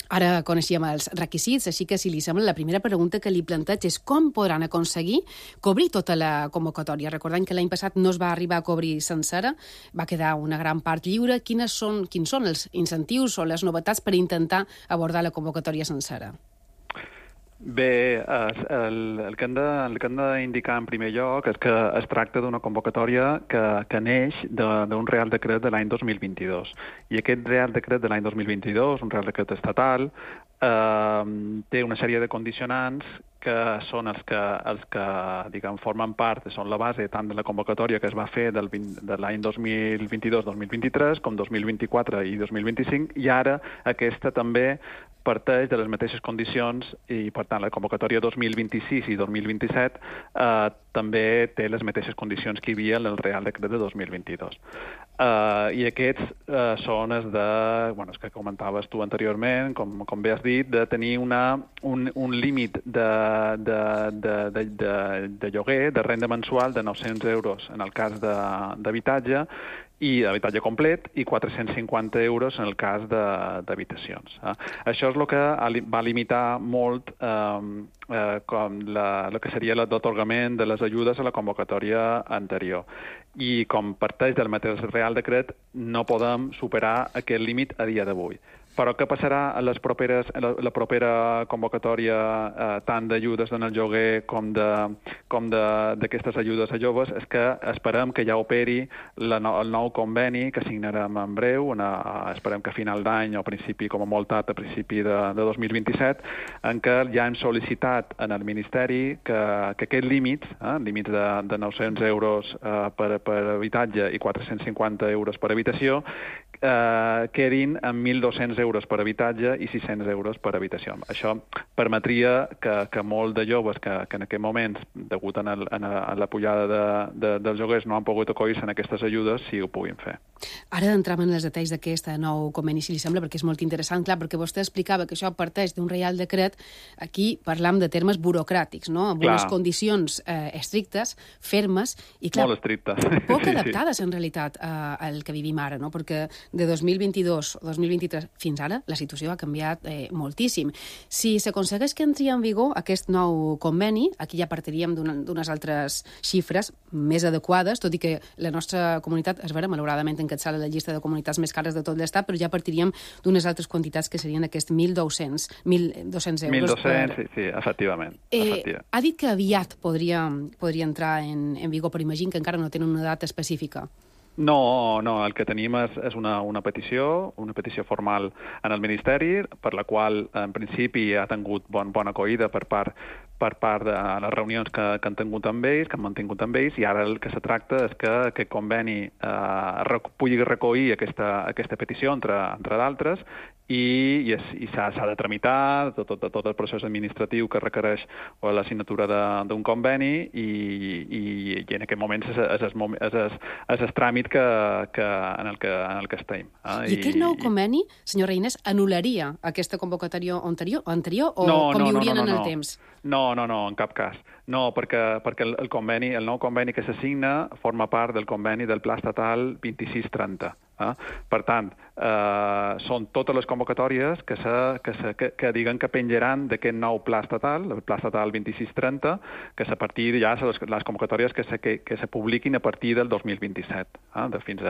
Ara coneixíem els requisits, així que, si li sembla, la primera pregunta que li planteig és com podran aconseguir cobrir tota la convocatòria. Recordem que l'any passat no es va arribar a cobrir sencera, va quedar una gran part lliure. Quins són els incentius o les novetats per intentar abordar la convocatòria sencera? Bé, el que hem d'indicar en primer lloc és que es tracta d'una convocatòria que neix d'un Real Decret de l'any 2022. I aquest Real Decret de l'any 2022, un Real Decret estatal, té una sèrie de condicionants que són els que diguem, formen part, són la base tant de la convocatòria que es va fer de l'any 2022-2023 com 2024 i 2025, i ara aquesta també parteix de les mateixes condicions i, per tant, la convocatòria 2026 i 2027 també té les mateixes condicions que hi havia en el Real Decret de 2022. I aquests són els que comentaves tu anteriorment, com bé has dit, de tenir un límit de lloguer, de renda mensual de 900 euros en el cas d'habitatge, i d'habitatge complet, i 450 euros en el cas d'habitacions. Això és el que va limitar molt el que seria l'atorgament de les ajudes a la convocatòria anterior. I com parteix del mateix Real Decret, no podem superar aquest límit a dia d'avui. Però què passarà en la propera convocatòria, tant d'ajudes en el lloguer com d'aquestes ajudes a joves, és que esperem que ja operi el nou conveni que signarem en breu, esperem que a final d'any o com a molt tard a principi de 2027, en què ja hem sol·licitat en el Ministeri que aquests límits de 900 euros per habitatge i 450 euros per habitació, quedin en 1.200 euros per habitatge i 600 euros per habitació. Això permetria que molts de joves que en aquest moment, degut a la pujada dels lloguers, no han pogut acollir-se en aquestes ajudes, sí ho puguin fer. Ara entrem en els detalls d'aquest nou conveni, si li sembla, perquè és molt interessant, clar, perquè vostè explicava que això parteix d'un Real Decret. Aquí parlam de termes burocràtics, no? Amb unes condicions estrictes, fermes, i clar, molt estrictes. Poc adaptades, en realitat, al que vivim ara, no? Perquè de 2022 o 2023 fins ara la situació ha canviat moltíssim. Si s'aconsegueix que entri en vigor aquest nou conveni, aquí ja partiríem d'unes altres xifres més adequades, tot i que la nostra comunitat es verà malauradament encapçala la llista de comunitats més cares de tot l'Estat, però ja partiríem d'unes altres quantitats que serien aquests 1.200 euros. 1.200, sí, efectivament. Ha dit que aviat podria entrar en vigor, però imagino que encara no tenen una data específica. No, el que tenim és una petició formal en el Ministeri, per la qual en principi ha tingut bona acollida per part de les reunions que han tingut amb ells, que han mantingut amb ells, i ara el que se tracta és que aquest conveni pugui recollir aquesta petició, entre d'altres, i s'ha de tramitar tot el procés administratiu que requereix la signatura d'un conveni, i en aquest moment és el tràmit en el que estem. I aquest nou conveni, senyor Reynés, anul·laria aquesta convocatòria anterior o conviurien en el temps? No, en cap cas. No, perquè el nou conveni que s'assigna forma part del conveni del Pla Estatal 2630. Per tant, són totes les convocatòries que diguen que penjaran d'aquest nou pla estatal, el pla estatal 2630, que és a partir ja les convocatòries que se publiquin a partir del 2027, fins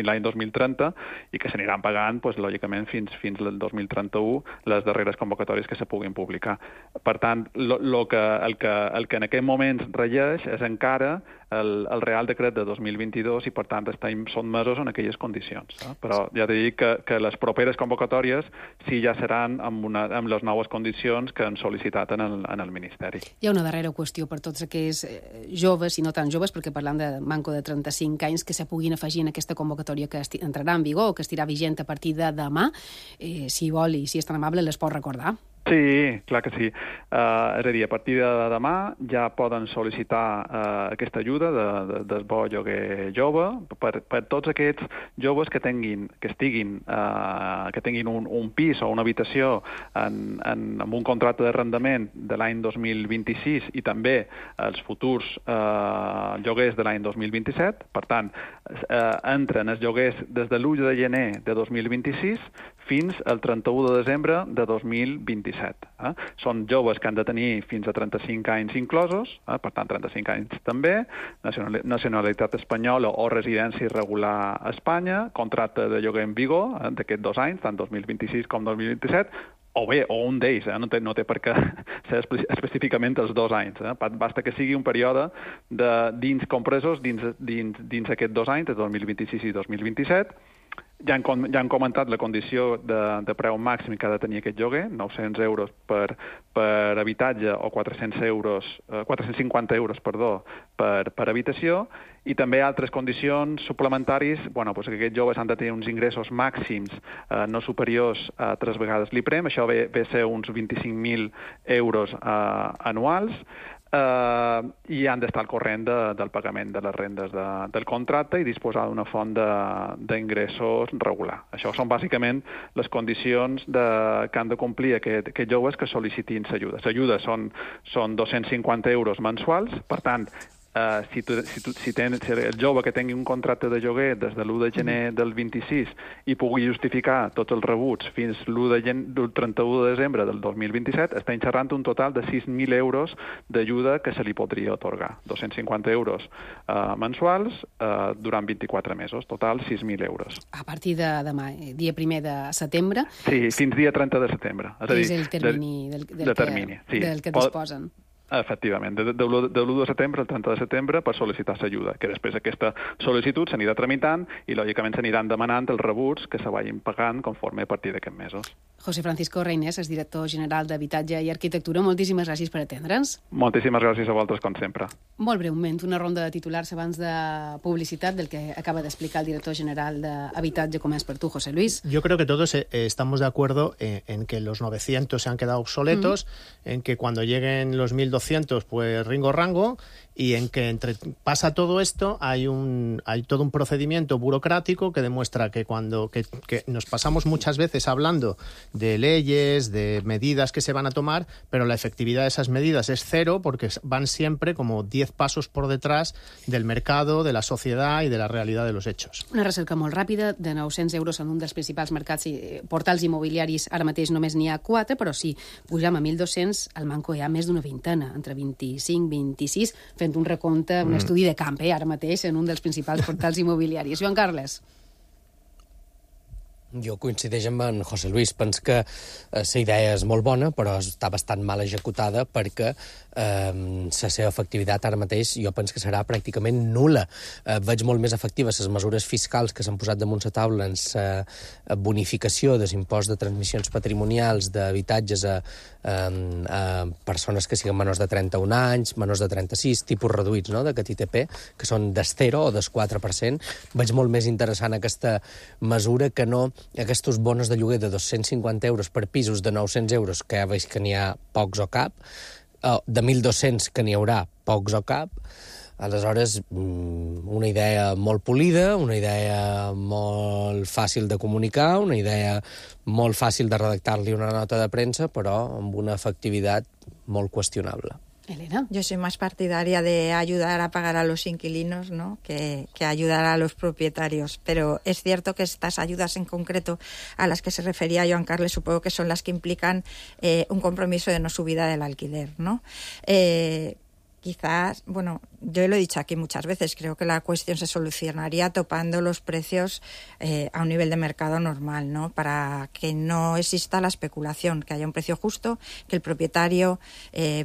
l'any 2030, i que s'aniran pagant, lògicament, fins al 2031, les darreres convocatòries que se puguin publicar. Per tant, el que en aquest moment regeix és encara el Real Decret de 2022 i, per tant, estem sotmesos en aquelles condicions. Però ja t'he dit que les properes convocatòries sí ja seran amb les noves condicions que han sol·licitat en el Ministeri. Hi ha una darrera qüestió per tots aquells joves, i no tan joves, perquè parlant de manco de 35 anys, que se puguin afegir en aquesta convocatòria que entrarà en vigor o que estarà vigent a partir de demà. Si vol i si és tan amable, les pot recordar. Sí, clar que sí. És a dir, a partir de demà ja poden sol·licitar aquesta ajuda del bo lloguer jove per tots aquests joves que tinguin un pis o una habitació amb un contracte d'arrendament de l'any 2026 i també els futurs lloguers de l'any 2027. Per tant, entren els lloguers des de l'1 de gener de 2026 fins al 31 de desembre de 2027. Són joves que han de tenir fins a 35 anys inclosos, per tant 35 anys també, nacionalitat espanyola o residència irregular a Espanya, contracte de lloguer en vigor d'aquests 2 anys, tant 2026 com 2027, o un d'ells, no té per què ser específicament els 2 anys. Basta que sigui un període compresos dins aquests 2 anys, de 2026 i 2027. Ja han comentat la condició de preu màxim que ha de tenir aquest lloguer, 900 euros per habitatge o 450 euros per habitació, i també altres condicions suplementaris, que aquests joves han de tenir uns ingressos màxims no superiors a 3 vegades l'IPREM, això ve a ser uns 25.000 euros anuals, i han d'estar al corrent del pagament de les rendes del contracte i disposar d'una font d'ingressos regular. Això són bàsicament les condicions que han de complir aquests joves que sol·licitin l'ajuda. L'ajuda són 250 euros mensuals, per tant, si el jove que tingui un contracte de lloguer des de l'1 de gener del 26 i pugui justificar tots els rebuts fins del 31 de desembre del 2027, està xerrant un total de 6.000 euros d'ajuda que se li podria atorgar. 250 euros mensuals durant 24 mesos. Total, 6.000 euros. A partir de demà, dia 1 de setembre? Sí, fins dia 30 de setembre. És el termini del que disposen. Efectivament, de l'1 de setembre al 30 de setembre per sol·licitar l'ajuda, que després aquesta sol·licitud s'anirà tramitant i, lògicament, s'aniran demanant els rebuts que se vagin pagant conforme a partir d'aquests mesos. José Francisco Reynés és director general d'Habitatge i Arquitectura. Moltíssimes gràcies per atendre'ns. Moltíssimes gràcies a vosaltres, com sempre. Molt breument, una ronda de titulars abans de publicitat del que acaba de explicar el director general d'Habitatge. Com és per tu, José Luis? Yo creo que todos estamos de acuerdo en que los 900 se han quedado obsoletos, en que cuando lleguen los 1.200, pues ringo rango, y en que pasa todo esto hay todo un procedimiento burocrático que demuestra que que nos pasamos muchas veces hablando de leyes, de medidas que se van a tomar, pero la efectividad de esas medidas es cero porque van siempre como 10 pasos por detrás del mercado, de la sociedad y de la realidad de los hechos. Una recerca molt ràpida, de 900 euros en un dels principals mercats portals immobiliaris. Ara mateix només n'hi ha 4, però si pugem a 1.200, al manco hi ha més d'una vintena, entre 25 i 26, fent un recompte, un estudi de camp, ara mateix, en un dels principals portals immobiliaris. Joan Carles. Jo coincideix amb en José Luis. Penso que la idea és molt bona, però està bastant mal executada perquè la seva efectivitat ara mateix jo penso que serà pràcticament nul·la. Veig molt més efectives les mesures fiscals que s'han posat damunt la taula en la bonificació de l'impost de transmissions patrimonials d'habitatges a persones que siguin menors de 31 anys, menors de 36, tipus reduïts, no?, d'aquest ITP, que són del 0 o del 4%. Veig molt més interessant aquesta mesura que no aquests bonos de lloguer de 250 euros per pisos de 900 euros, que ja veig que n'hi ha pocs o cap, de 1.200 que n'hi haurà pocs o cap. Aleshores, una idea molt polida, una idea molt fàcil de comunicar, una idea molt fàcil de redactar-li una nota de premsa, però amb una efectivitat molt qüestionable. Elena. Yo soy más partidaria de ayudar a pagar a los inquilinos, ¿no? que ayudar a los propietarios. Pero es cierto que estas ayudas en concreto a las que se refería Joan Carles, supongo que son las que implican un compromiso de no subida del alquiler, ¿no? Quizás, bueno, yo lo he dicho aquí muchas veces, creo que la cuestión se solucionaría topando los precios a un nivel de mercado normal, ¿no? Para que no exista la especulación, que haya un precio justo, que el propietario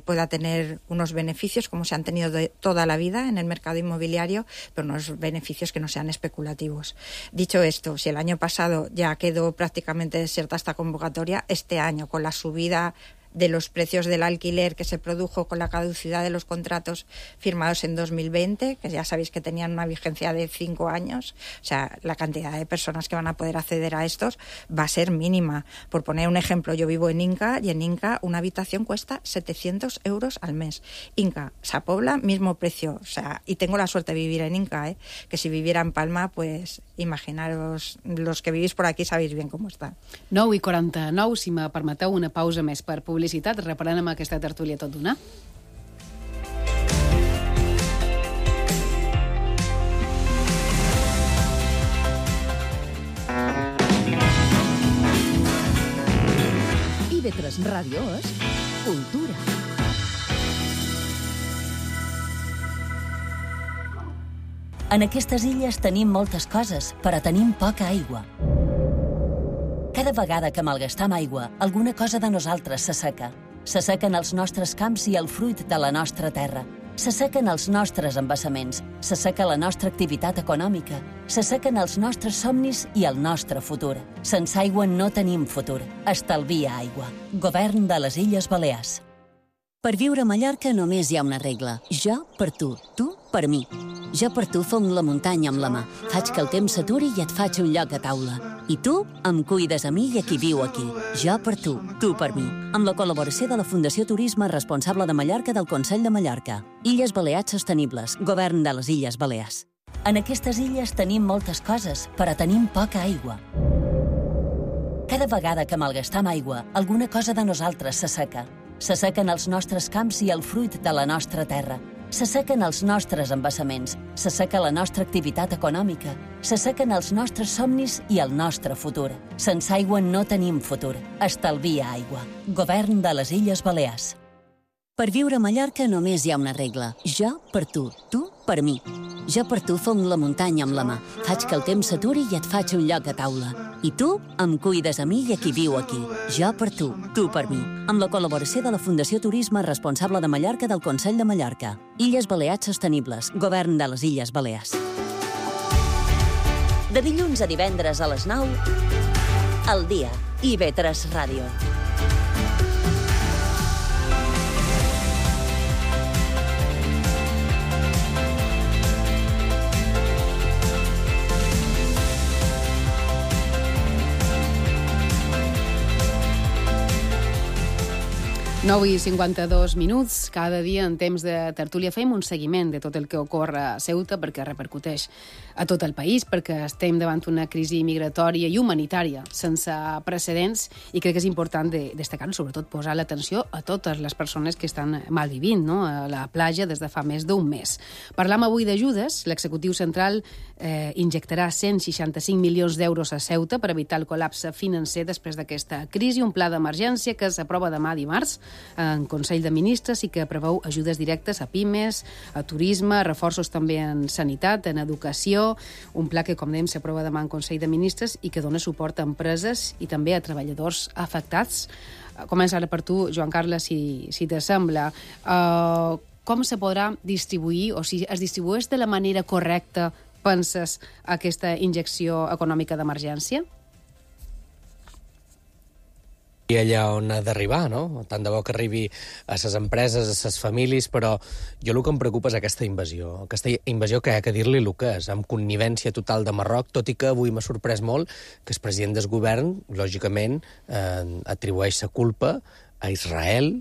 pueda tener unos beneficios como se han tenido de toda la vida en el mercado inmobiliario, pero unos beneficios que no sean especulativos. Dicho esto, si el año pasado ya quedó prácticamente desierta esta convocatoria, este año con la subida de los precios del alquiler que se produjo con la caducidad de los contratos firmados en 2020, que ya sabéis que tenían una vigencia de 5 años, o sea, la cantidad de personas que van a poder acceder a estos va a ser mínima. Por poner un ejemplo, yo vivo en Inca y en Inca una habitación cuesta 700 euros al mes. Inca, Sa Pobla, mismo precio, o sea, y tengo la suerte de vivir en Inca, que si viviera en Palma, pues imaginaros, los que vivís por aquí sabéis bien cómo está. 9:49, si me permeteu una pausa més per publicitat, reparant amb aquesta tertúlia tot d'una. IB3 Ràdio és cultura. En aquestes illes tenim moltes coses, però tenim poca aigua. Cada vegada que malgastam aigua, alguna cosa de nosaltres s'asseca. S'assequen els nostres camps i el fruit de la nostra terra. S'assequen els nostres embassaments, s'asseca la nostra activitat econòmica, s'assequen els nostres somnis i el nostre futur. Sense aigua no tenim futur. Estalvia aigua. Govern de les Illes Balears. Per viure a Mallorca només hi ha una regla. Jo per tu per mi. Jo per tu fong la muntanya amb la mà. Faig que el temps s'aturi i et faig un lloc a taula. I tu em cuides a mi i a qui viu aquí. Jo per tu per mi. Amb la col·laboració de la Fundació Turisme Responsable de Mallorca del Consell de Mallorca. Illes Balears Sostenibles. Govern de les Illes Balears. En aquestes illes tenim moltes coses, però tenim poca aigua. Cada vegada que malgastam aigua, alguna cosa de nosaltres s'asseca. S'assequen els nostres camps i el fruit de la nostra terra. S'assequen els nostres embassaments, s'asseca la nostra activitat econòmica, s'assequen els nostres somnis i el nostre futur. Sense aigua no tenim futur. Estalvia aigua. Govern de les Illes Balears. Per viure a Mallorca només hi ha una regla. Jo per tu per mi. Jo per tu fong la muntanya amb la mà. Faig que el temps s'aturi i et faig un lloc a taula. I tu em cuides a mi i a qui viu aquí. Jo per tu per mi. Amb la col·laboració de la Fundació Turisme Responsable de Mallorca del Consell de Mallorca. Illes Balears Sostenibles. Govern de les Illes Balears. De dilluns a divendres a les 9, al dia. IB3 Ràdio. Nou i 52 minuts. Cada dia en temps de tertúlia fem un seguiment de tot el que ocorre a Ceuta perquè repercuteix a tot el país, perquè estem davant una crisi migratòria i humanitària sense precedents i crec que és important destacar, sobretot posar l'atenció a totes les persones que estan malvivint, no?, a la platja des de fa més d'un mes. Parlam avui d'ajudes. L'executiu central injectarà 165 milions d'euros a Ceuta per evitar el col·lapse financer després d'aquesta crisi, un pla d'emergència que s'aprova demà dimarts en Consell de Ministres i que preveu ajudes directes a pimes, a turisme, reforços també en sanitat, en educació, un pla que, com dèiem, s'aprova demà en Consell de Ministres i que dona suport a empreses i també a treballadors afectats. Comença ara per tu, Joan Carles, si t'assembla. Com se podrà distribuir, o si es distribueix de la manera correcta, penses, aquesta injecció econòmica d'emergència? I allà on ha d'arribar, no? Tant de bo que arribi a les empreses, a les famílies, però jo el que em preocupa és aquesta invasió que ha que dir-li el que és, amb connivència total de Marroc, tot i que avui m'ha sorprès molt que el president del govern, lògicament, atribueix la culpa a Israel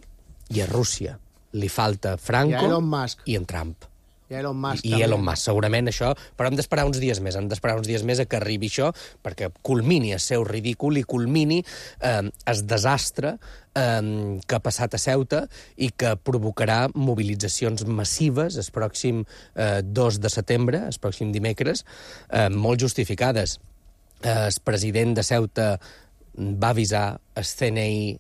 i a Rússia. Li falta Franco i en Trump. I Elon Musk. I Elon Musk, segurament això, però hem d'esperar uns dies més, a que arribi això, perquè culmini el seu ridícul i culmini el desastre que ha passat a Ceuta i que provocarà mobilitzacions massives el pròxim 2 de setembre, el pròxim dimecres, molt justificades. El president de Ceuta va avisar, el CNI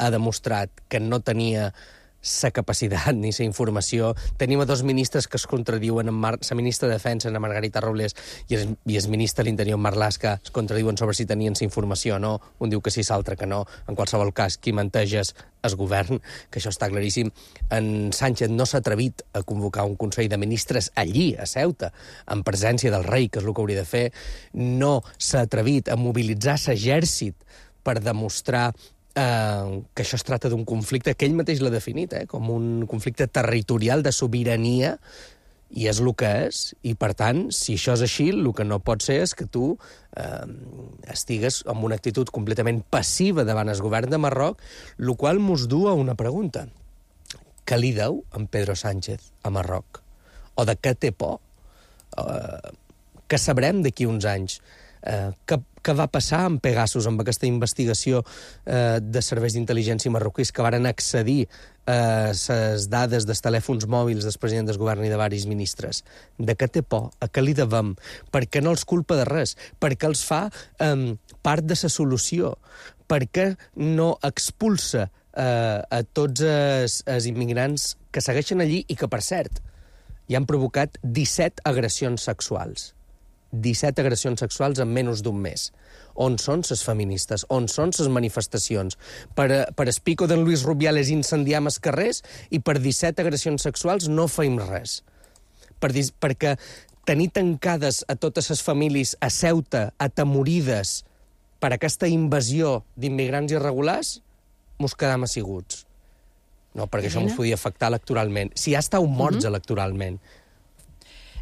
ha demostrat que no tenia la capacitat ni la informació. Tenim a dos ministres que es contradiuen, la ministra de Defensa, Ana Margarita Robles, i el ministre de l'Interior, Marlaska, es contradiuen sobre si tenien la informació o no. Un diu que sí, l'altre que no. En qualsevol cas, qui menteix és el govern, que això està claríssim. En Sánchez no s'ha atrevit a convocar un Consell de Ministres allí, a Ceuta, en presència del rei, que és el que hauria de fer. No s'ha atrevit a mobilitzar l'exèrcit per demostrar que això es tracta d'un conflicte que ell mateix l'ha definit, com un conflicte territorial de sobirania, i és el que és, i per tant, si això és així, el que no pot ser és que tu estigues amb una actitud completament passiva davant el govern de Marroc, el qual mos du a una pregunta. Què li deu en Pedro Sánchez a Marroc? O de què té por? Què sabrem d'aquí uns anys? Què va passar amb Pegasus, amb aquesta investigació de serveis d'intel·ligència marroquís que varen accedir a les dades dels telèfons mòbils del president del govern i de varis ministres? De què té por? A què li devem? Per què no els culpa de res? Per què els fa part de la solució? Per què no expulsa a tots els immigrants que segueixen allí i que, per cert, hi han provocat 17 agressions sexuals? 17 agressions sexuals en menys d'un mes. On són les feministes? On són les manifestacions? Per el pico d'en Luis Rubiales incendiam els carrers i per 17 agressions sexuals no feim res. Perquè tenir tancades a totes les famílies a Ceuta, atemorides per aquesta invasió d'immigrants irregulars, mos quedam asseguts. No, perquè això mos podia afectar electoralment. Si ja estàu morts electoralment.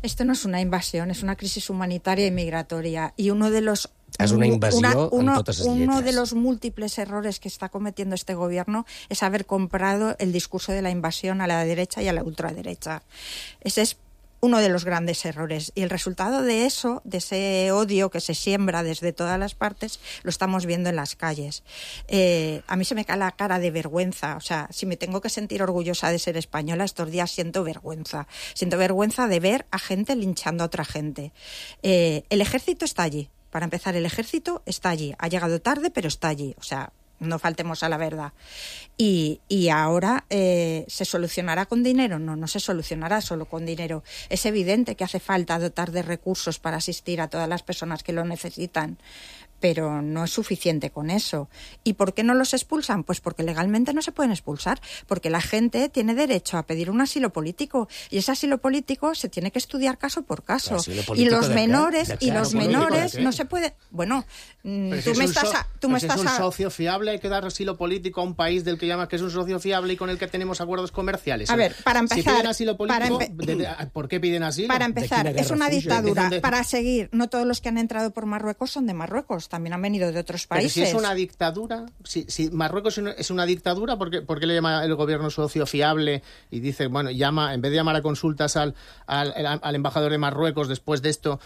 Esto no es una invasión, es una crisis humanitaria y migratoria. Y uno de los... Es una invasión en totes les lletres. Uno de los múltiples errores que está cometiendo este gobierno es haber comprado el discurso de la invasión a la derecha y a la ultraderecha. Ese es uno de los grandes errores. Y el resultado de eso, de ese odio que se siembra desde todas las partes, lo estamos viendo en las calles. A mí se me cae la cara de vergüenza. O sea, si me tengo que sentir orgullosa de ser española, estos días siento vergüenza. Siento vergüenza de ver a gente linchando a otra gente. El ejército está allí. Para empezar, el ejército está allí. Ha llegado tarde, pero está allí. O sea, no faltemos a la verdad. Y ahora ¿se solucionará con dinero? No se solucionará solo con dinero. Es evidente que hace falta dotar de recursos para asistir a todas las personas que lo necesitan, pero no es suficiente con eso. ¿Y por qué no los expulsan? Pues porque legalmente no se pueden expulsar, porque la gente tiene derecho a pedir un asilo político, y ese asilo político se tiene que estudiar caso por caso. Y los menores no se puede... Bueno, tú me estás... Es un socio fiable, hay que dar asilo político a un país del que llamas que es un socio fiable y con el que tenemos acuerdos comerciales. A ver, para empezar... Si piden asilo político, ¿por qué piden asilo? Para empezar, es una dictadura. Para seguir, no todos los que han entrado por Marruecos son de Marruecos, también han venido de otros países. Pero si es una dictadura, si Marruecos es una dictadura, ¿por qué le llama el gobierno socio fiable y dice, bueno, en vez de llamar a consultas al embajador de Marruecos después de esto,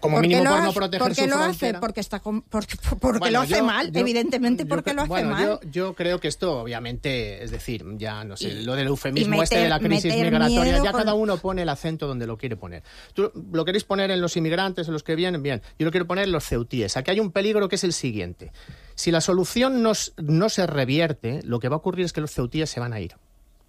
como mínimo por no proteger su frontera? Porque lo hace mal, evidentemente porque lo hace mal. Yo creo que esto, obviamente, es decir, ya no sé, lo del eufemismo de la crisis migratoria, ya cada uno pone el acento donde lo quiere poner. Tú lo queréis poner en los inmigrantes, en los que vienen, bien. Yo lo quiero poner en los ceutíes. Aquí hay un peligro que es el siguiente. Si la solución no se revierte, lo que va a ocurrir es que los ceutíes se van a ir.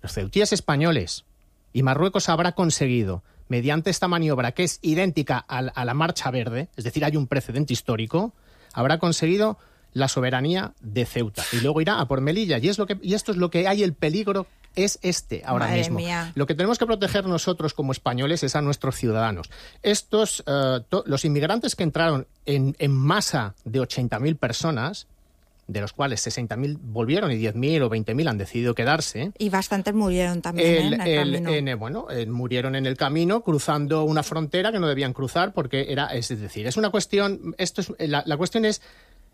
Los ceutíes españoles. Y Marruecos habrá conseguido, mediante esta maniobra que es idéntica a la Marcha Verde, es decir, hay un precedente histórico, habrá conseguido la soberanía de Ceuta. Y luego irá a por Melilla. Y esto es lo que hay, el peligro es ahora Madre mismo. Mía. Lo que tenemos que proteger nosotros como españoles es a nuestros ciudadanos. Los inmigrantes que entraron en masa de 80.000 personas, de los cuales 60.000 volvieron y 10.000 o 20.000 han decidido quedarse. Y bastantes murieron también en el camino. Murieron en el camino cruzando una frontera que no debían cruzar porque es una cuestión. La cuestión es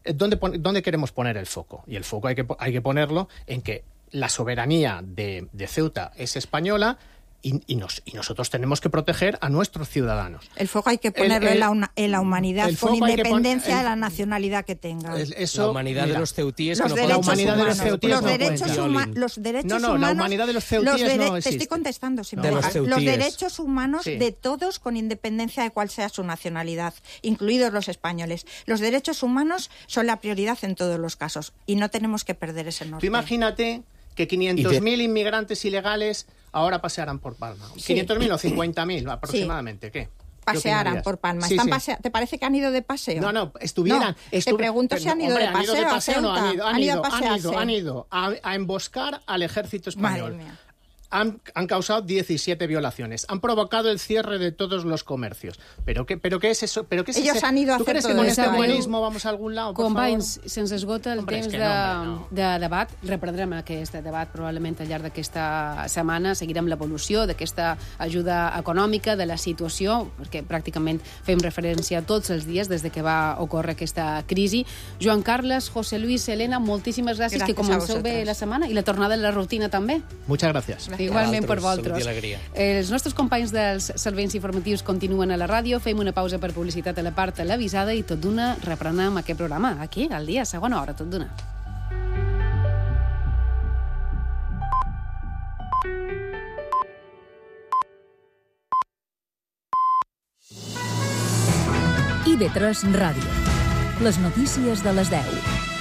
dónde queremos poner el foco. Y el foco hay que ponerlo en que la soberanía de Ceuta es española y nosotros tenemos que proteger a nuestros ciudadanos. El foco hay que ponerlo en la humanidad, con independencia de la nacionalidad que tenga. La humanidad de los ceutíes los que no la humanidad de los ceutíes los derechos humanos. La humanidad de los ceutíes no existe. Te estoy contestando, si me de dejas. Los derechos humanos sí. de todos, con independencia de cuál sea su nacionalidad, incluidos los españoles. Los derechos humanos son la prioridad en todos los casos y no tenemos que perder ese norte. Tú imagínate que 500.000 inmigrantes ilegales ahora pasearán por Palma. Sí. 500.000 o 50.000 aproximadamente, ¿qué? Pasearan por Palma. Sí, ¿Te parece que han ido de paseo? No, estuvieran... te pregunto si han ido de paseo a Ceuta. Han ido a emboscar al ejército español. Madre mía. Han causado 17 violaciones. Han provocado el cierre de todos los comercios. ¿Pero qué es eso? Ellos han ido a hacer todo ¿Tú crees que con este buenismo vamos a algun lado? Companys, se'ns esgota el temps de debat. Reprendrem aquest debat probablement al llarg d'aquesta setmana. Seguirem l'evolució d'aquesta ajuda econòmica, de la situació, perquè pràcticament fem referència tots els dies des de que va ocórrer aquesta crisi. Joan Carles, José Luis, Elena, moltíssimes gràcies, que comenceu bé la setmana i la tornada a la rutina també. Muchas gracias. Igualment per vosaltres. Els nostres companys dels serveis informatius continuen a la ràdio. Fem una pausa per publicitat a la part televisada i tot d'una reprenem aquest programa aquí, al dia, segona hora, tot d'una. IB3 Ràdio. Les notícies de les 10.